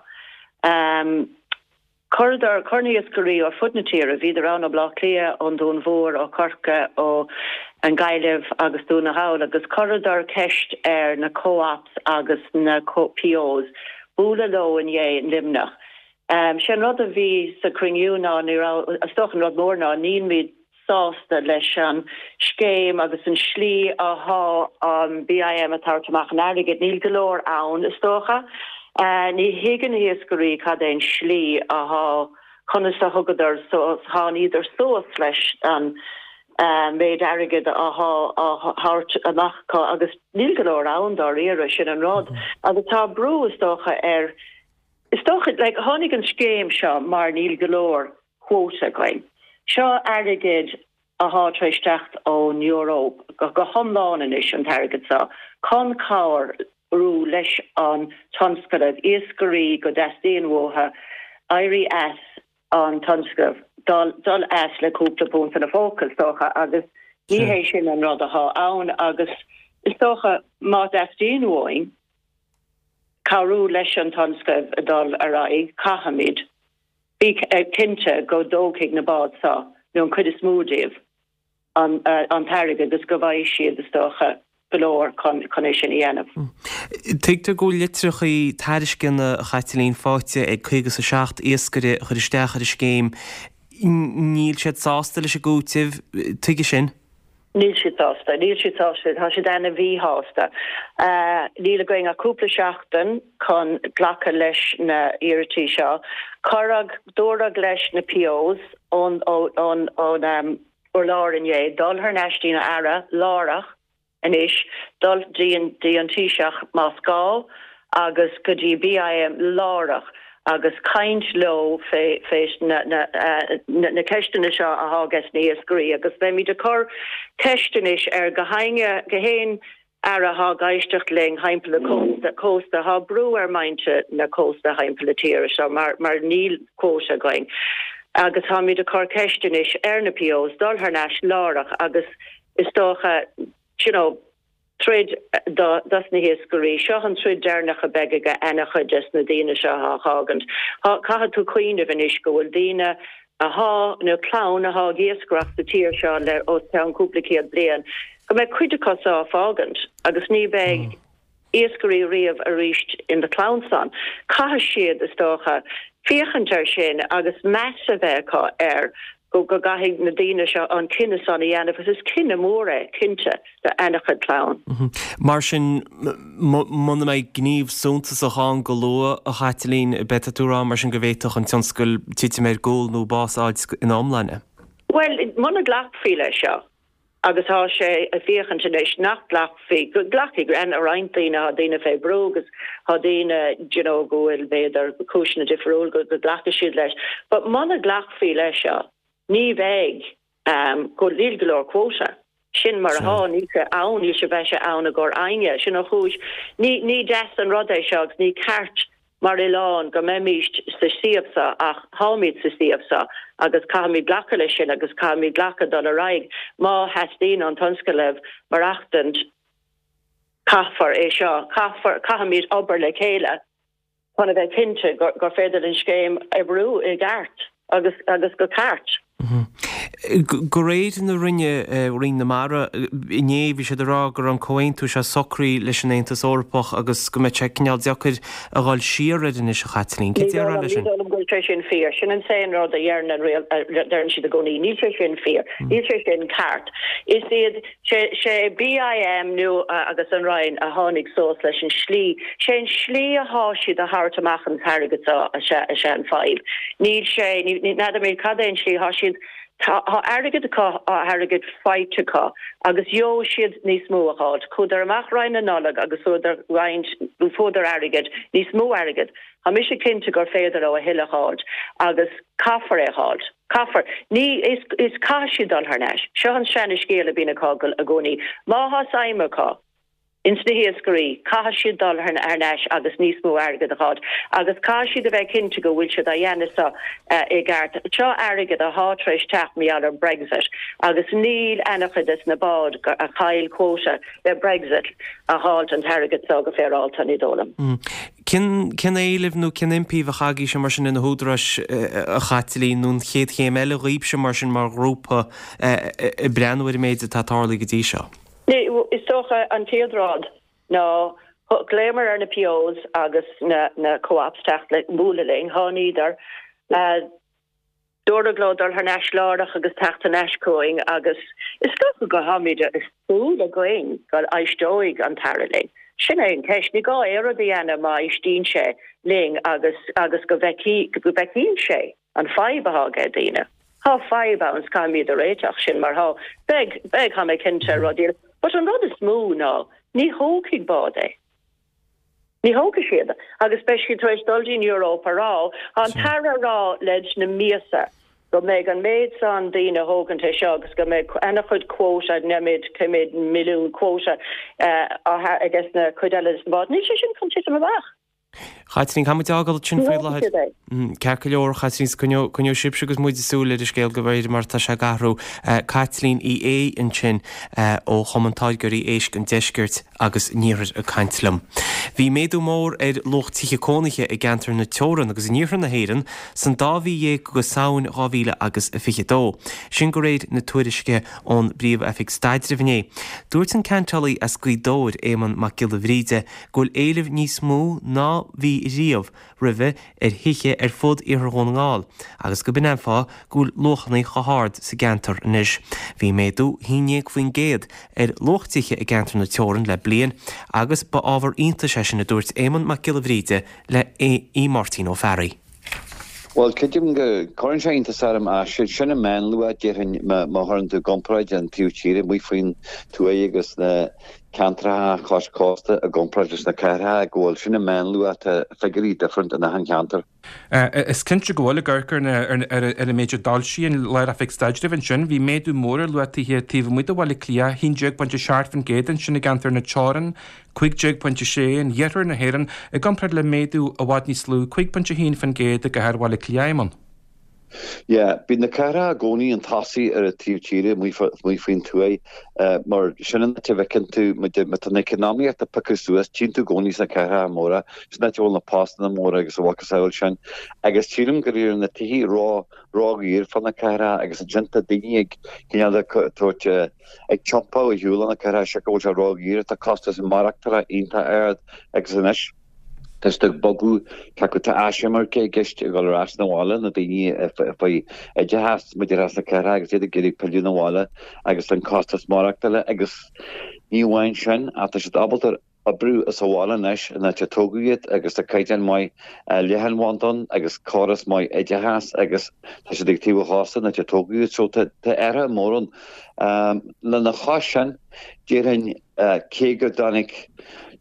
Chuireadar, chuir na hiascairí ar fud na tíre, bhíodar ann ó Bhleá Cliath, ón Dún Mhór, ó Chorcaigh, ó an Ghaillimh agus Dún na nGall agus chuireadar ceist ar na co-ops agus na POs bualadh leo inné i Luimneach. Sé an rud a bhí sa chruinniú ná ní raibh, is dócha an rud mór ná nílimid sásta leis an scéim agus an slí athá an BIM ag tabhairt amach an airgid. Níl go leor ann, is dócha. Ní thuigeann na hiascairí cad é an slí athá, conas a thugadar suas, tháiníodar suas leis an méid airgid athá á thabhairt amach acu agus níl go leor ann dáiríre, sin an rud. Agus tá brú, is dócha, ar, is dócha, like, tháinig an scéim seo mar níl go leor quota againn. Seo airgead athá tar éis teacht ón Eoraip go hiomlán anois, an t-airgead seo, chun cabhrú leis an tionscnamh, iascairí go dteastaíonn uathu éirí as an tionscnamh, dul as le cúpla punt ina phóca, is dócha, agus ní hé sin an rud athá ann agus is dócha má theastaíonn uainn cabhrú leis an tionscnamh a dul ar aghaidh, caithfimid. Bí cinnte go dtógfaidh na báid seo, nó an chuid is mó díobh, an t-airgead agus go bhfaighidh siad, is dócha, go leor chun é sin a dhéanamh. Tuigtear go bhfuil litreacha tairisceana, a Chaitlín, faighte ag caoga is a seacht iascaire a chuir isteach ar an scéim. Níl siad sásta leis an gcúiteamh, tuige sin? Níl siad sásta. Níl siad sásta. Tá siad ana-mhíshásta. Níl againn ach cúpla seachtain chun glacadh leis na hiarrataí seo. Cuireadh, dúradh leis na POs ón ón ón urlár inné dul thar n-ais dtí'n Aire láithreach. anois dul dtí an dtí an Taoiseach más gá agus go dtí BIM láithreach agus caint leo fé fé na na na na ceisteanna seo athá ages na hiascairí agus beimid ag cur ceist anois ar gach éinne gach aon aire athá ag éisteacht linn thimpeall na cósta cósta thá brú ar muintir na cósta thimpeall na tíre seo mar mar níl quota againn agus táimid ag cur ceist anois ar na POs dul thar n-ais láithreach agus is dócha you know troid do dos na hiascairí. Seo an troid deireanach a bheidh ag ana-chuid des na daoine seo athá fágaint. Thá caithfidh tú cuimhneamh anois go bhfuil daoine athá nó clann athá ag iascaireacht sa tír seo le os cionn cúpla céad bliain go mbeidh cuid acu seo á fágaint agus ní bheidh iascairí riamh arís in na clann san. Caithfidh siad is dócha féachaint air sin agus meas a bheith acu air go go gcaithfidh na daoine seo an cinneadh san a dhéanamh agus is cinneadh mór é, cinnte, do ana-chuid clann. Mar sin, muna mbeidh gníomh suntasach ann go luath, a Chaitlín, beidh tú ag rá mar sin go bhféadfadh an tionscal titim ar gcúl nó bás a fháil ina iomláine? Bhuel, muna nglacfaí leis seo, agus tá sé ag féachaint anois nach nglacfaí, go nglacfaidh roinnt daoine, tá daoine fé brú agus tá daoine d'you know go bhfuil b'fhéidir cúiseanna difriúil go go nglacfaidh siad leis. But muna nglacfaí leis seo, ní bheidh um go níl go leor quota. Sin mar athá, níl sé ann, níl sé beidh sé ann i gcomhair éinne. Sin an chúis. Ní ní deas an rud é seo agus ní ceart mar oileán go mbeimíst sa suíomh seo ach táimid sa suíomh seo agus caithfimid glacadh leis sin agus caithfimid glacadh dul ar aghaidh. Má theastaíonn ón tionscal maireachtaint caithfear é seo, caithfear, caithfimid obair le chéile chun a bheith cinnte gur gur féidir an scéim oibriú i gceart agus agus go ceart. De réir na Roinne, Roinn na Mara, inné bhí siad ag rá go raibh an comhaontú seo socraithe leis an Aontas Eorpach agus go mbeadh sé cineál deacair a dhul siar air anois, a Chaitlín. Cad é déarfá leis sin? Ní dóigh liom go bhfuil sé sin fíor. Sin an t-aon rud a dheireann an riail, a deireann siad i gcónaí. Níl sé sin fíor. Níl sé sin ceart. Is iad, sé, sé BIM nó agus an Roinn a tháinig suas leis an slí, sé an slí athá siad a thabhairt amach an t-airgead seo is ea, is ea an fadhb. Níl sé, ní, ní, n'fheadar mé cad é an slí athá siad, tá, tá airgead acu, tá airgead faighte acu agus gheobhaidh siad níos mó a dh'fháilt. Chuadar amach roimh na Nollag agus fuadar roinnt, fuadar airgead, níos mó airgead. Tá mise cinnte gur féidir leo a thuilleadh a dh'fháilt agus caithfear é a dh'fháilt. Caithfear. Ní, is, is caithfidh siad dul thar n-ais. Seo an seana-scéal a bhíonn acu i gcónaí. Má thá suim acu ins na hiascairí, caithfidh siad dul thar n-ais agus níos mó airgead a dh'fháilt. Agus caithfidh siad a bheith cinnte go bhfuil siad á dhéanamh seo i gceart. Seo airgead athá tar éis teacht mar gheall ar Brexit agus níl ana-chuid des na báid a chaill quota le Brexit a dh'fháilt an t-airgead seo go féaráilte, ní dóigh liom. Cén cén éileamh nó cén impí a bheadh agaibhse mar sin ar na húdaráis, a Chaitlín, nó an chéad chéim eile dhaoibhse mar sin mar ghrúpa ag breathnú ar an méid atá tarlaithe go dtí seo? Is dócha an chéad rud ná ghlaomar ar na POs agus na na co-ops teacht le bualadh linn, tháiníodar. Dúradh leo dul thar n-ais láithreach agus teacht thar n-ais chugainn agus is dócha go tháimid is súil againn go éisteoidh an tAire linn. Sin é an ceist. Ní gá aon rud a dhéanamh má éistíonn sé linn agus agus go bhfeicfidh go bhfeicíonn sé an fadhb athá ag daoine. Tá fadhb ann is caithfimid a réiteach sin mar thá. Beidh, beidh, tá mé cinnte, rudaí eile. But an rud is mó ná ní thógfaidh bád é. Ní thógfaidh siad agus beidh siad tar éis dul dtí'n Europe a rá, tá an tAire a rá leis na míosa go mbeidh an méid san daoine a thógaint é seo agus go mbeidh ana-chuid quota, n'fheadar cé méid milliún quota ages na cuid eile des na báid. Níl sé sin chun titim amach. Chaitlín, caithfidh muid a fhágáil ansin faoi láthair. Ceart go leor, Chaitlín, coinneoidh sibhse agus muid súil ar an scéal de réir mar atá sé ag athrú. Caitlín Uí Aodha ansin ó Chumann Táirgeoirí Éisc an Deiscirt agus an Iarthair ag caint liom. Bhí méadú mór ar luach tithe cónaithe i gceantar na Teorann agus in iarthar na hÉireann san dá mhí dhéag go Samhain dhá mhíle agus a fiche dó. Sin de réir na tuairisce ón bPríomh-Oifig Staidrimh inné. Dúirt an ceantálaí as Gaoth Dobhair, Éamonn Mac Giolla Bhríde, go bhfuil éileamh níos mó ná bhí riamh roimhe ar thithe ar fud Iarthar Dhún na nGall agus go b'in an fáth go bhfuil luachanna chomh hard sa gceantar anois. Bhí méadú haon déag faoin gcéad ar luach tithe i gceantar na Teorann le bliain agus ba ábhar iontais é sin a dúirt Éamonn Mac Giolla Bhríde le Máirtín Ó Fearraigh. Bhuel, creidim go gcuireann sé iontas orm ach sin an meánluach déarfainn má chuireann tú i gcomparáid an taobh tíre amuigh faoin tuath agus na ceantracha cois cósta i gcomparáid leis na cathracha go bhfuil sin an meánluach tá figiúirí different in achan cheantar. Is cinnte go bhfuil ag amharc ar an méid a d'fhoilsigh an Lár-Oifig Staidrimh ansin, bhí méadú mór ar luach tithe taobh amuigh de Bhaile Átha Cliath, a haon déag pointe seacht faoin gcéad ansin i gceantar na Teorann, cúig déag pointe sé in iarthar na hÉireann, i gcomparáid le méadú i bhfad níos lú, cúig pointe a haon faoin gcéad i gcathair Bhaile Átha Cliath, Éamonn. Yeah, bíonn na cathracha i gcónaí chun tosaigh ar an taobh tíre amuigh faoin tuath mar sin an áit a bhfeiceann tú má tá an economaíocht ag piocadh suas, tchíonn tú i gcónaí sna cathracha móra, sin an áit a bhfuil na postanna móra agus a mhacasamhail sin. Agus sílim gur éirigh na tithe ró ró-dhaor fá na cathracha agus ansin tá daoine ag cineál de tabhairt ag tiompáil ar shiúl ó na cathracha siocair go bhfuil sé ró-dhaor, tá costas maireachtála iontach ard agus anois tá siad ag bogadh, tá tá eisimirce i gceist ag dul ar ais 'na bhaile, na daoine faoi oideachas, b'fhéidir as na cathracha agus iad ag iarraidh pilleadh 'na bhaile agus an costas maireachtála agus ní amháin sin ach tá siad ábalta oibriú as an bhaile anois an áit a tógadh iad agus tá caighdeán maith leathanbhanda ann agus córas maith oideachais agus tá siad ag taobh an chósta an áit a tógadh iad so tá athruithe mór ann. Lena chois sin, déarfainn cé go dtáinig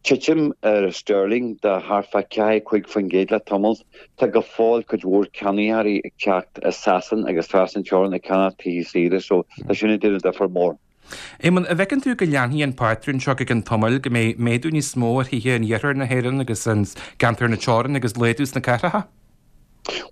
titim ar sterling de thart fá ceathair cúig faoin gcéad le tamall, tá go fóill cuid mhór ceannaitheoirí ag teacht as Sasain agus trasna an teorann ag ceannach tithe saoire so tá sin ag déanamh difear mór. Éamonn, an bhfeiceann tú go leanfaidh an pátrún seo go ceann tamaill, go mbeidh méadú níos mó ar thithe in iarthar na hÉireann agus i gceantar na teorann agus laghdú sna cathracha?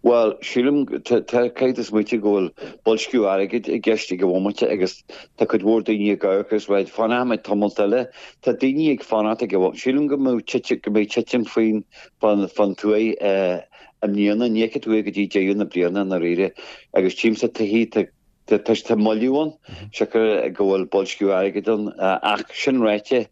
Bhuel, sílim, caithfidh tú smaoitiú go bhfuil boilsciú airgid i gceist ag an bhomaite agus tá cuid mhór daoine ag amharc agus right, fanfaidh mé tamalt eile. Tá daoine ag fanacht ag an bhomaite. Sílim go mbeidh titim, go mbeidh titim faoin, fán, fán tuath i mbliana. Ní fheicfidh tú é go dtí deireadh na bliana i ndáiríre. Agus tchímse tithe, tá, Tá moilliú ann, siocair go bhfuil boilsciú airgid ann, ach sin ráite,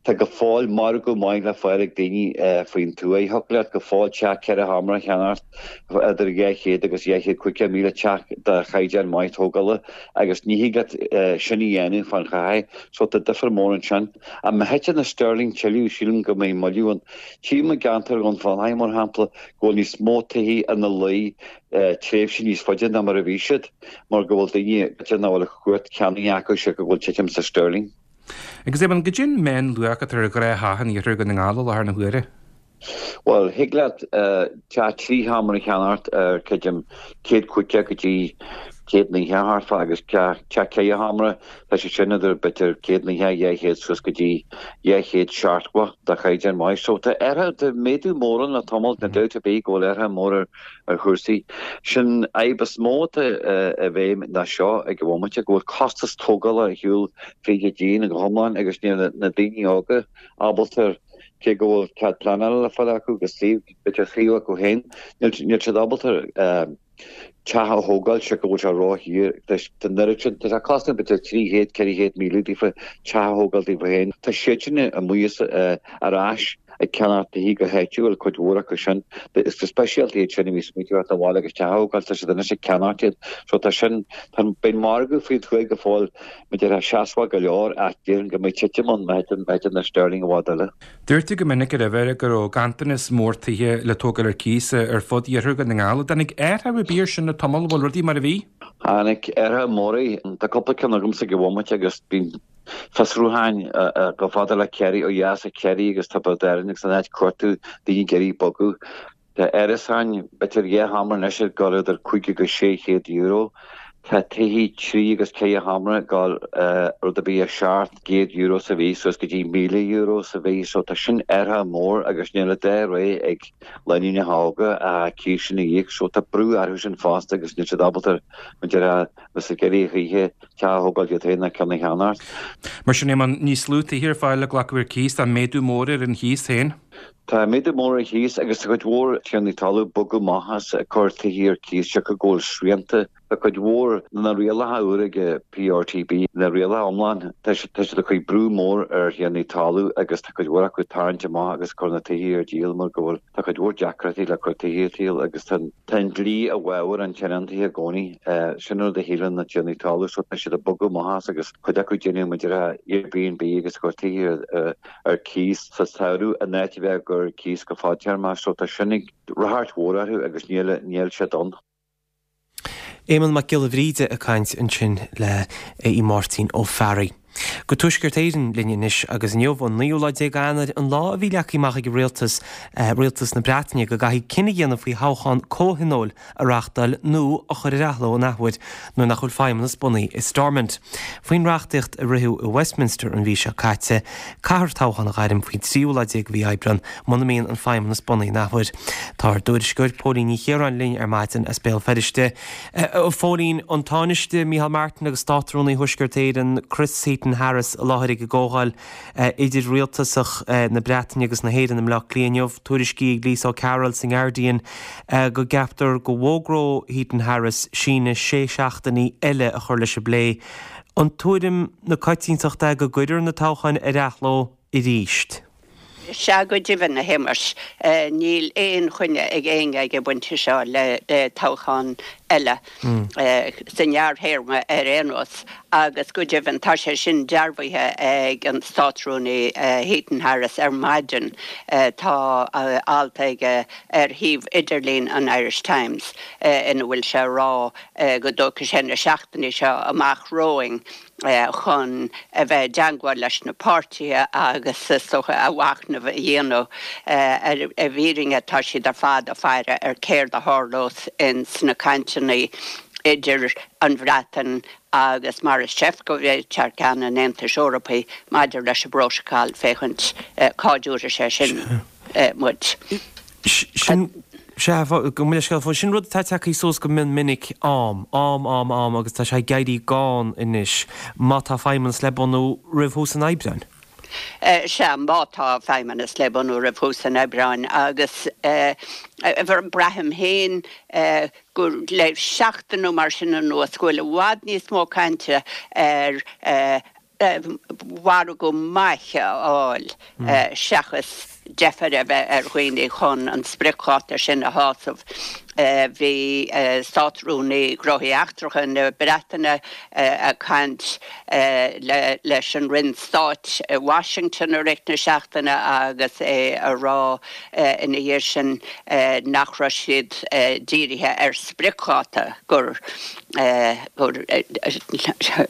tá go fóill margadh maith le fáil ag daoine faoin tuath. Thiocfadh leat go fóill teach ceithre sheomra a cheannacht idir dhá chéad agus dhá chéad caoga míle, teach de chaighdeán maith tógála, agus ní thig leat sin a dhéanamh fán chathair. So tá difear mór ansin. Ach má thiteann an sterling tuilleadh, sílim go mbeidh moilliú ann. Tchím i gceantar Dhún Fionnachaidh, mar shampla, go bhfuil níos mó tithe ina luí tréimhse níos faide ná mar a bhí siad, mar go bhfuil daoine b'fhéidir nach bhfuil cumhacht ceannaigh acu siocair go bhfuil titim sa sterling. Agus Éamonn, goidé an meánluach atá ar ghnáth-theach in iarthar Dhún na nGall i láthair na huaire? Bhuel, thig leat teach trí sheomra a cheannacht ar, creidim, céad caoga go dtí céad naocha thart fá agus teach ceithre sheomra, tá sé sin idir b'fhéidir céad naocha, dhá chéad suas go dtí dhá chéad seachtó de chaighdeán maith. So tá athruithe, tá méadú mór ann le tamall, níl dabht ar bith go bhfuil athruithe mór ar ar chúrsaí. Sin fhadhb is mó atá i bhfeidhm ná seo ag an bhomaite, go bhfuil costas tógála ar shiúl fríd an díon go hiomlán agus níl na daoine óga ábalta, cé go bhfuil cead pleanála le fáil acu agus suíomh, b'fhéidir suíomh acu féin, níl siad ábalta teach a thógáil siocair go bhfuil sé ródhaor. Tá an oiread sin, tá sé cosnamh b'fhéidir trí chéad, ceithre chéad míle daofa teach a thógáil daofa féin. Tá siad sin amuigh ar ais ag ceannach tithe go háitiúil, cuid mhór acu sin. Is go speisialta iad sin a bhí ag smaoitiú ar theacht abhaile agus teach a thógáil, tá siad anois ag ceannacht iad. So tá sin, tá an, beidh an margadh faoin tuath go fóill, mar a déarfá, seasmhach go leor ach déarfainn go mbeidh titim ann má thiteann, má thiteann an sterling i bhfad eile. Dúirt tú go minic roimhe go raibh ganntanas mór tithe le tógáil ar cíos ar fud iarthar Dhún na nGall. An dtáinig athrú ar bith air sin le tamall, an bhfuil rudaí mar a bhí? Tháinig athruithe móra. Tá cúpla ceann agamsa ag an bhomaite agus bíonn fiosrúcháin chomh fada le Ciarraí, ó dheas ó Chiarraí agus Tiobraid Árann agus an áit cuartú daoine ag iarraidh bogadh. Tá árasáin, b'fhéidir dhá sheomra anois ag dul idir cúig agus sé chéad euro. Tá tithe trí agus ceithre sheomra ag dul rud ar bith ó seacht gcéad euro sa mhí suas go dtí míle euro sa mhí. So tá sin athruithe mór agus níl an dá rogha ag lánúineacha óga ach cíos sin a íoc. So tá brú orthu sin fosta agus níl siad ábalta, mar a déarfá, bheith ag iarraidh a choíche teach a thógáil iad féin ná ceann a cheannacht. Mar sin, Éamonn, níos lú tithe ar fáil le glacadh ar cíos, tá méadú mór ar an chíos féin. Tá méadú mór ar an chíos agus tá cuid mhór tiarnaí talún ag bogadh amach as ag cur tithe ar cíos siocair go bhfuil srianta Tá cuid mhór na rialacha úra ag P R T B, na rialacha iomlán, tá siad ag cur brú mór ar thiarnaí talún agus tá cuid mhór acu ag tarraingt amach agus cur na tithe ar díol mar go bhfuil tá cuid mhór deacrachtaí le cur tithe ar díol agus tá an dlí i bhfabhar an tionóntaithe i gcónaí. Sin rud a shíleann na tiarnaí talún, so tá siad ag bogadh amach as agus cuid acu ag déanamh mar a déarfá Airbnb agus cur tithe ar cíos sa samhradh in áit a bheith ag cur cíos go fadtéarmach, so tá sin ag ráchairt mhór orthu agus níl níl siad ann. Éamonn Mac Giolla Bhríde ag caint ansin le í Máirtín Ó Fearraigh. Go Tuaisceart Éireann linn anois agus inniu an naoú lá déag Eanáir, an lá a bhí leagtha amach ag rialtas eh, rialtas na Breataine go gcaithfidh cinneadh a dhéanamh faoi thoghchán comhthionóil a reáchtáil nó a chur ar athló an athuair nuair nach bhfuil feidhmeannas bunaithe i Stormont. Faoin reachtaíocht a ritheadh i Westminster an mhí seo caite, caithfear toghchán a ghairm faoin tríú lá déag de mhí Aibreáin muna mbíonn an feidhmeannas bunaithe an athuair. Tá ár dtuairisceoir Póilín Ní Chiaráin linn ar maidin as Béal Feirste. Eh, Phóilín, an Tánaiste Micheál Martin agus Státrúnaí Thuaisceart Éireann Chris Heaton-Harris i láthair ag an gcomhdháil idir rialtasach na Breataine agus na hÉireann i mBleá Cliath inniu, tuairiscí ag Lisa O'Carroll san Guardian go gceaptar go bhfógróidh Heaton-Harris síneadh sé seachtainí eile a chur leis an bplé. An tuairim na coitiantachta go gcuirfear na toghcháin ar athló arís. Sea, go deimhin, a Shéamais, níl aon choinne ag éinne ag an bpointe seo le toghchán eile sa ngearrthéarma ar aon nós agus go deimhin tá sé sin dearbhaithe ag an Státrúnaí Heaton-Harris ar maidin. Tá alt aige ar shuíomh idirlín an Irish Times ina bhfuil sé ag rá go dtógfaidh sé na seachtainí seo amach romhainn chun a bheith i dteagmháil leis na páirtithe agus is dócha a mhachnamh a dhéanamh ar an bhfírinne. Tá siad ar fad ag faire ar céard a tharlós in sna cainteanna idir an Bhreatain agus Maros Sefcovic thar ceann an Aontais Eorpaigh maidir leis an bprótacal, féachaint cá dtabharfaidh sé sin muid. Sin Sea, gabh mo leithscéal, sin rud atá tagtha suas go mion minic, am, am, am, am agus tá sé ag éirí gann anois má tá feidhmeannas le bunú roimh thús an Aibreáin. Sea, má tá feidhmeannas le bunú roimh thús an Aibreáin agus braithim féin gur le seachtain nó mar sin anuas go bhfuil i bhfad níos mó cainte ar mhargadh maith a fháil seachas deifir a bheith ar dhaoine chun an spriocdháta sin a shásamh. Bhí Státrúnaí Gnóthaí Eachtracha na Breataine ag caint leis an Roinn Stáit i Washington i rith na seachtaine agus é ag rá ina dhiaidh sin nach raibh siad dírithe ar spriocdháta, gur gur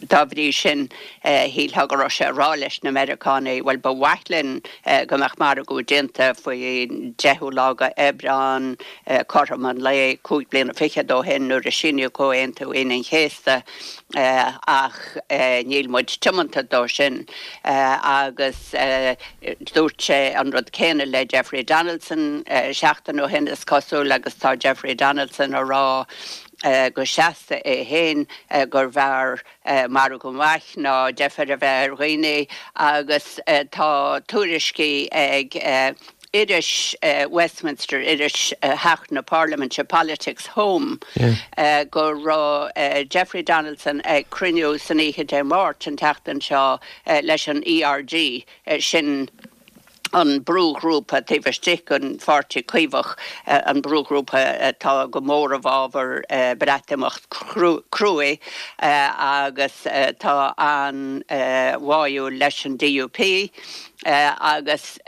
dá bhrí sin shílfeá go raibh sé ag rá leis na Meiriceánaigh, bhuel, ba mhaith linn go mbeadh margadh déanta faoin deichiú lá d'Aibreán, cothrom an lae cúig bliana fichead ó shin nuair a síníodh Comhaontú Aoine an Chéasta, ach níl muid tiomanta dó sin. Agus dúirt sé an rud céanna le Jeffrey Donaldson seachtain ó shin, is cosúil, agus tá Jeffrey Donaldson ag rá go seasta é féin gurbh fhearr margadh maith ná deifir a bheith ar dhaoine agus tá tuairiscí ag iris Westminster, iris Theach na Parlaiminte, Politics Home, go raibh Jeffrey Donaldson ag cruinniú san oíche Dé Máirt an tseachtain seo leis an E R G, sin an brúghrúpa taobh istigh den Pháirtí Caomhach, an brúghrúpa atá go mór i bhfabhar Breatimeacht cruaidh agus atá an-bháúil leis an D U P, agus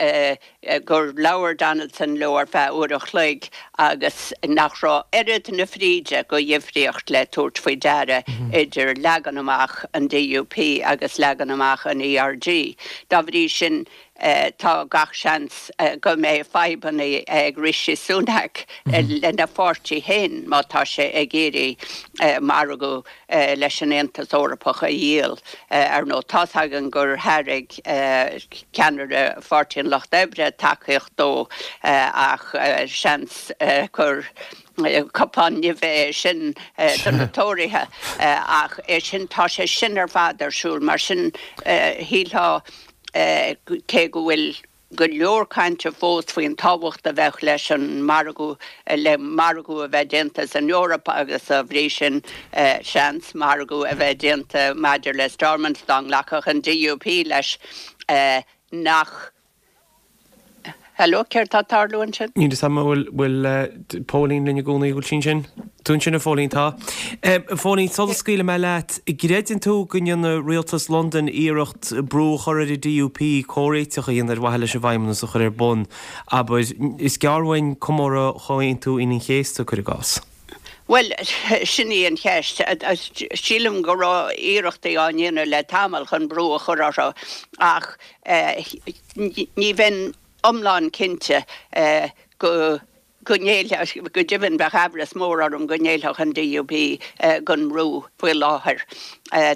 gur labhair Donaldson leo ar feadh uair a chloig agus nach raibh oiread na fríde de dhifríocht le tabhairt faoi deara idir leagan amach an D U P agus leagan amach an E R G. Dá bhrí sin, tá gach seans go mbeidh fadhbanna ag Rishi Sunak lena pháirtí féin má tá sé ag iarraidh margadh leis an Aontas Eorpach a dhíol. Ar ndóigh, tá's againn gur thairg ceannaire Pháirtí an Lucht Oibre tacaíocht dó ach seans gur cupán nimhe é sin do na Tóraithe ach é sin, tá sé sin ar fad ar siúl. Mar sin, shílfeá cé go bhfuil go leor cainte fós faoin tábhacht a bheadh leis an margadh, le margadh a bheith déanta san Eoraip agus dá bhrí sin seans margadh a bheith déanta maidir le Stormont dá nglacfadh an DUP leis nach Hello, céard tá ag tarlú ansin? Níl fhios agam an bhfuil Póilín linn i gcónaí, bhfuil sí ansin? Tú ansin a Phóilín, tá. A Phóilín, sula scaoilfidh mé leat, gcreideann tú go ndéanfaidh rialtas Londain iarracht brú a chur ar an DUP comhréiteach a dhéanamh ar mhaithe leis an bhFeidhmeannas a chur ar bun? Abair, is gearr uainn comóradh Chomhaontú Aoine an Chéasta, cuir i gcás. Bhuel, sin í an cheist. Sílim go raibh iarrachtaí á ndéanamh le tamall chun brú a chur orthu ach ní bheinn iomlán cinnte go go ngéillfeadh, go deimhin bheadh aimhreas mór orm go ngéillfeadh an DUP don mbrú faoi láthair.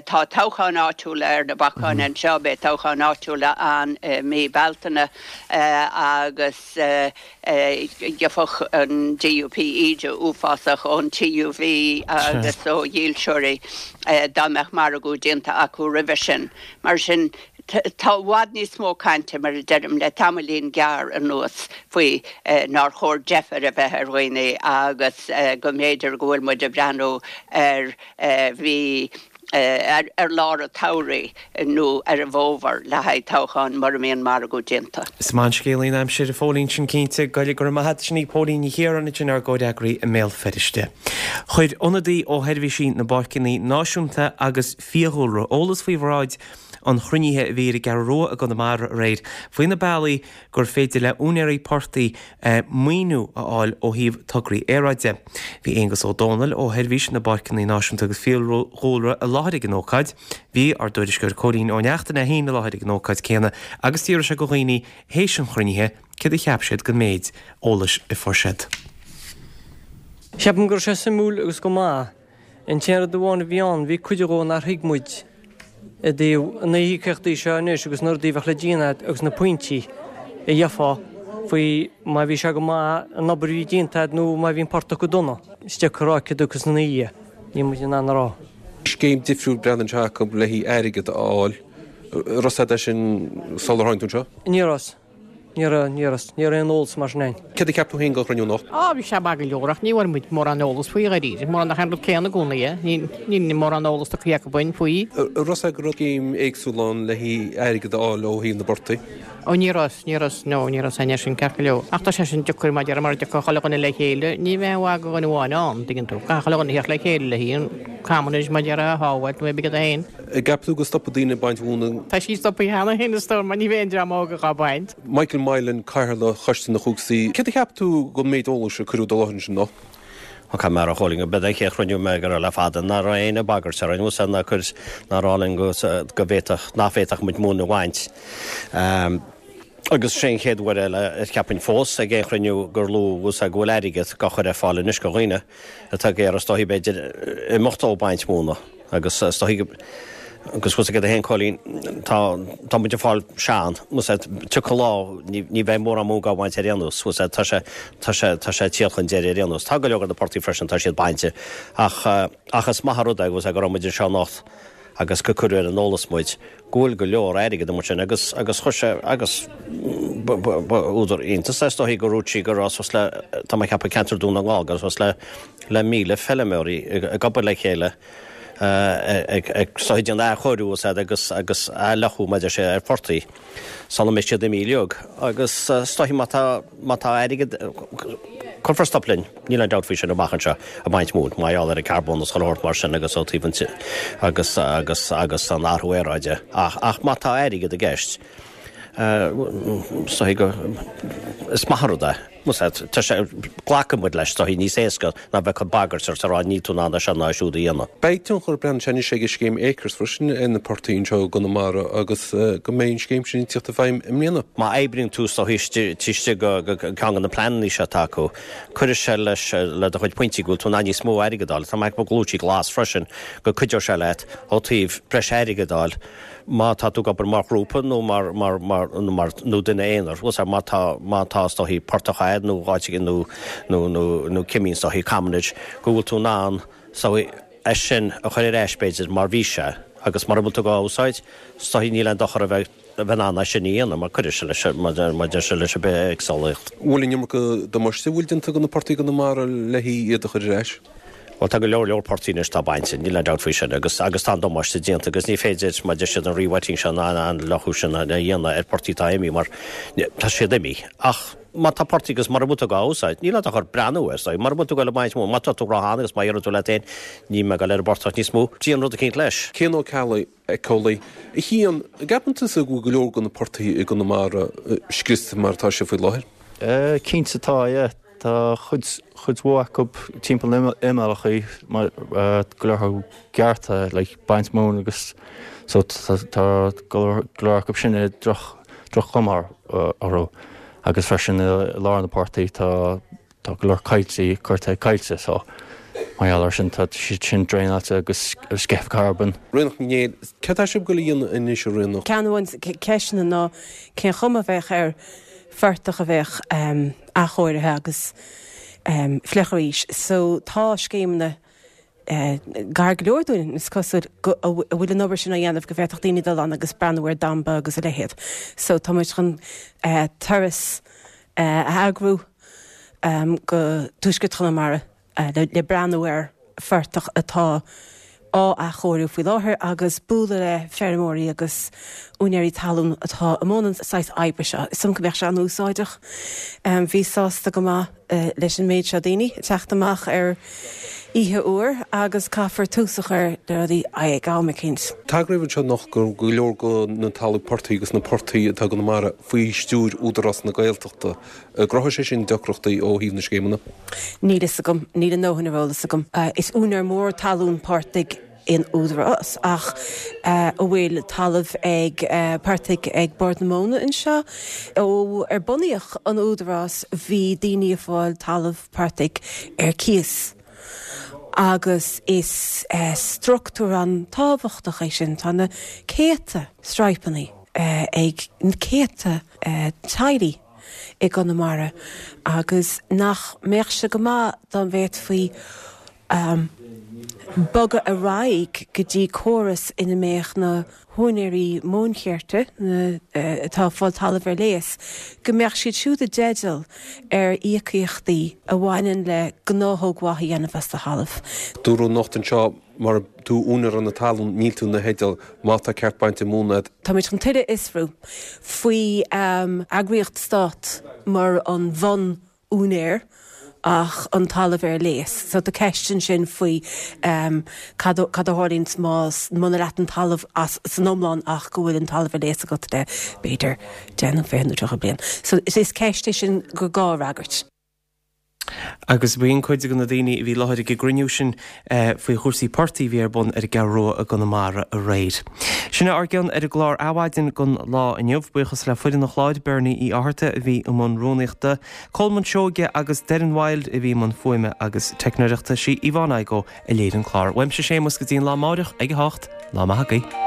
Tá toghcháin áitiúla ar na bacáin anseo, beidh toghcháin áitiúla ann i mí Bealtaine agus gheobhadh an DUP íde uafásach ón TUV agus ó dhílseoirí dá mbeadh margadh déanta acu roimhe sin. Mar sin, Tá i bhfad níos mó cainte, mar a deirim, le tamaillín gearr anuas faoi nár chóir deifir a bheith ar dhaoine agus go mb'fhéidir go bhfuil muid ag breathnú ar mhí, ar lár an tsamhraidh nó ar an bhfómhar le haghaidh toghcháin mura mbíonn margadh déanta. Is maith an scéalaí an aimsir, a Phóilín, sin cinnte. Go raibh maith agat, sin í Póilín Ní Chiaráin ansin, ár gcomhfhreagraí i mBéal Feirste. Chuir ionadaí ó Sheirbhísí na bPáirceanna Náisiúnta agus Fiadhúlra eolas faoi bhráid an chruinnithe a bhí ar an gCeathrú Rua i gConamara aréir faoi na bealaí gur féidir le úinéirí portaigh maoiniú a fháil ó thaobh tograí aeráide. Bhí Aengus Ó Dónaill ó Sheirbhís na bPáirceanna Náisiúnta agus Fiadhúlra i láthair ag an ócáid. Bhí ár dtuairisceoir Cóilín Ó Neachtain é féin i láthair ag an ócáid céanna agus d'fhiafraigh sé de dhaoine théis an chruinnithe céard a cheap siad den méid eolais a fuair siad. Ceapaim go raibh sé suimiúil agus go maith. An t-aon rud amháin a bhí ann, bhí cuid dhó nár thuig muid i dtaobh na híocaíochtaí seo anois agus na rudaí a bheadh le déanamh agat agus na pointí a gheofá faoi má bhí sé go maith an obair a bhí déanta agat nó má bhí an portach go dona. Is deacair a rá céard a thiocfas ina dhiaidh, níl muid in ann a rá. Scéim difriúil breathnaíonn sé acu le haghaidh airgead a fháil. An raibh a fhios agat é sin sular tháinig tú anseo? Ní raibh. Ní raibh, ní raibh, ní raibh aon eolas mar sin againn. Céard a cheap tú féin den chruinniú anocht? Á, bhí sé maith go leor ach ní bhfuair muid mórán eolas faoi dháiríre. Mórán nach aon rud céanna i gcónaí é. Ní, níl mórán eolas tugtha acu dúinn faoi. An raibh a fhios agat go raibh scéim éagsúil ann le haghaidh airgead a fháil ó thaobh na bportaigh? Ó, ní raibh, ní raibh, no, ní raibh aon sin ceart go leor. Ach tá sé sin deacair mar déarfá mura dtiocfadh chuile dhuine le chéile, ní bheadh aon mhaith do dhuine amháin ann, tuigeann tú. Caithfidh chuile dhuine a theacht le chéile le haghaidh an commonage mar déarfá a shábháilt nó pé rud é féin. An gceapann tú go stopfaidh daoine ag baint mhóna? Tá sí stoptha cheana féin is dóigh mar ní bheidh aon dream óg dhá baint. Michael Mylan, Cathaoirleach Choiste na Cuasaí, Céard a cheap tú den méid eolais a cuireadh i láthair ansin anocht? Ó caithfidh mé a rá a Chóilín go b'é an chéad chruinniú mé go raibh le fada nach raibh éinne ag bagairt orainn bhfuil ná cur ná rá linn go go bhféadfadh nach bhféadfadh muid móin a bhaint. Agus sé an chéad uair eile a cheapfainn fós ag aon chruinniú gur luadh bhfuil go bhfuil airgead á chur ar fáil anois do dhaoine atá ag iarraidh is dóichí b'fhéidir imeacht ó baint móna agus is dóichí go agus bhfuil a fhios agat féin Cóilín tá tá muid ag fáil sean bhfuil a fhios agat tiocfaidh lá ní ní bheidh mórán móin á bhaint ar aon nós bhfuil a fhios agat tá sé tá sé tá sé ag tíocht chun deiridh ar aon nós. Tá go leor de na portaigh freisin tá siad bainte ach ach is maith an rud é bhfuil a fhios agat go raibh muid anseo anocht agus go cuireadh ar an eolas muid go bhfuil go leor airgid amuigh ansin agus agus chuir sé agus ba ba ba údar iontais é is dóichí go ndúirt sí go raibh suas le tá mé ag ceapadh ceantar Dún na nGall go raibh suas le le míle feilméaraí ag ag obair le chéile ag ag is dóichí déanamh athchóiriú is agus agus athfhliuchadh mar a deir sé ar phortaigh sula mbeidh siad imithe uilig agus is dóichí má tá má tá airgead cuirfear stop linn, níl aon dabht faoi sin amach anseo ag baint móin mar gheall ar an carbón is chuile shórt mar sin agus ó taobh an agus agus agus an athrú aeráide ach ach má tá airgead i gceist is dóichí go is maith an rud é. Tá sé, glacfaidh muid leis, is dóichí níos éasca ná bheith ag cur bagairt ort ag rá níl tú in ann é seo ná é siúd a dhéanamh. Beidh tionchar breathnaíonn sé anois ag an scéim Acres freisin ar na portaigh anseo i gConamara agus go mbeidh an scéim sin ag tíocht i bhfeidhm i mbliana. Má oibríonn tú is dóichí istigh i gceann de na pleananna seo atá acu, cuirfidh sé leis le do chuid pointí go bhfuil tú in ann níos mó airgid a fháil. Tá mé ag ceapadh go luaigh sí glas freisin go cuideoidh sé leat ó taobh breis airgid a fháil má tá tú ag obair mar ghrúpa nó mar, mar, mar, nó mar, nó duine aonair, bhfuil a fhios agat, má tá, má tá is dóichí portach a'd nó áit éigin nó, nó, nó, nó cimín is dóichí commonage, go bhfuil tú in ann, is dóichí, é sin a chur ar ais b'fhéidir mar bhí sé agus mura bhfuil tú dhá úsáid, is dóichí níl aon dochar a bheith a bheith in ann é sin a dhéanamh mar cuirfidh sé leis, mar deir sé, leis an bithéagsúlacht. Bhfuil an iomarca damáiste a bhfuil déanta do na portaigh i gConamara le iad a chur ar ais? Bhuel, tá go leor leor portaigh anois atá bainte, níl aon dabht faoi sin, agus agus tá an damáiste déanta agus ní féidir, mar deir siad, an rewetting sin, an an fhliuchadh sin a dhéanamh ar portaigh atá imithe mar tá siad imithe. Ach má tá portaigh agus mura bhfuil tú á úsáid, níl ort ach breathnú air, so mura bhfuil tú ag dul ag baint móna, má tá tú ró-shean agus má deireann tú leat féin, níl mé ag dul ar an bportach níos mó, déan rud eicínt leis. Cian Ó Ceallaigh, éiceolaí. A Chian, an gceapann tusa go bhfuil go leor de na portaigh i gConamara scriosta mar atá sé faoi láthair? Cinnte tá, yeah. Tá chuid, chuid mhór acu timpeall na n-imeallachaí mar go leor acu gearrtha like baint móin agus so tá go leor, go leor acu sin i droch, droch-chuma orthu agus freisin i lár na portaigh tá, tá go leor coillte curtha ag coillte so mar gheall ar sin tá siad sin draenáilte agus sceitheadh carbóin. Ríonach Ní Néill, Céard tá sibh ag dul a dhéanamh anois a Ríonach? Ceann amháin de ceisteanna ná cén chuma a bheadh ar phortach a bheadh athchóirithe agus fliuch arís. So tá scéimeanna gar go leor dúinn, is cosúil, go a bhfuil an obair sin á dhéanamh go bhféadfadh daoine dul ann agus breathnú ar damba agus a leithéid. So tá muid chun turas a eagrú go Tuaisceart Chonamara le breathnú ar phortach atá á athchóiriú faoi láthair agus bualadh le feirmeoirí agus úinéirí talún atá i mbun an saghas oibre seo. Is dóigh liom go mbeadh sé an-úsáideach. Bhíos sásta go maith leis an méid seo daoine ag teacht amach ar oíche fhuar agus caithfear tús a chur le rudaí ag am eicínt. Tagraíodh anseo anocht go raibh go leor de na talamh portaigh agus na portaigh atá i gConamara faoi stiúir Údarás na Gaeltachta. An gcruthóidh sé sin deacrachtaí ó thaobh na scéimeanna? Níl fhios agam. Níl a ndóthain ar eolas agam. Is úinéir mór talún portaigh é an Údarás ach an bhfuil talamh ag portaigh ag Bord na Móna anseo. Ó ar bunaíodh an Údarás bhí daoine ag fáil talamh portaigh ar cíos agus is struchtúr an-tábhachtach é sin. Tá na céadta straidhpeanna ag na céadta teaghlaigh i gConamara agus nach mbeadh sé go maith dá bhféadfaí bogadh ar aghaidh go dtí córas ina mbeadh na húinéirí móinchirt, na atá ag fáil talamh ar léas, go mbeadh siad siúd i dteideal ar íocaíochtaí a bhaineann le gnáthóg mhaith a dhéanamh as do thalamh. Dúradh anocht anseo mura tú úinéir na talún níl tú ina theideal má tá ceart bainte móna agat. Táimid chun tuilleadh a fhiosrú faoi eagraíocht stát mar an bhun úinéir ach an talamh ar léas. So tá ceist ansin faoi cad a tharlaíonn más muna leat an talamh as san iomlán ach go bhfuil an talamh ar léas agat le b'fhéidir deich nó fiche nó tríocha bliain. So is ceist é sin gur gá a fhreagairt. Agus b'in cuid de na daoine a bhí i láthair ag an gcruinniú sin faoi chúrsaí portaigh a bhí ar bun ar an gCeathrú Rua i gConamara aréir. Sin é ár gcion ar an gclár Adhmhaidin don lá inniu. Buíochas le foireann an chláir, Bernie Uí Fhátharta a bhí i mbun rúnaíochta, Colman Seoige agus Derren Wilde a bhí i mbun fuaime agus teicneoireachta. Sí Yvonne Igoe a léirigh an clár. Uaimse Séamus go dtí an lá amáireach ag a hocht. Lá maith agaibh.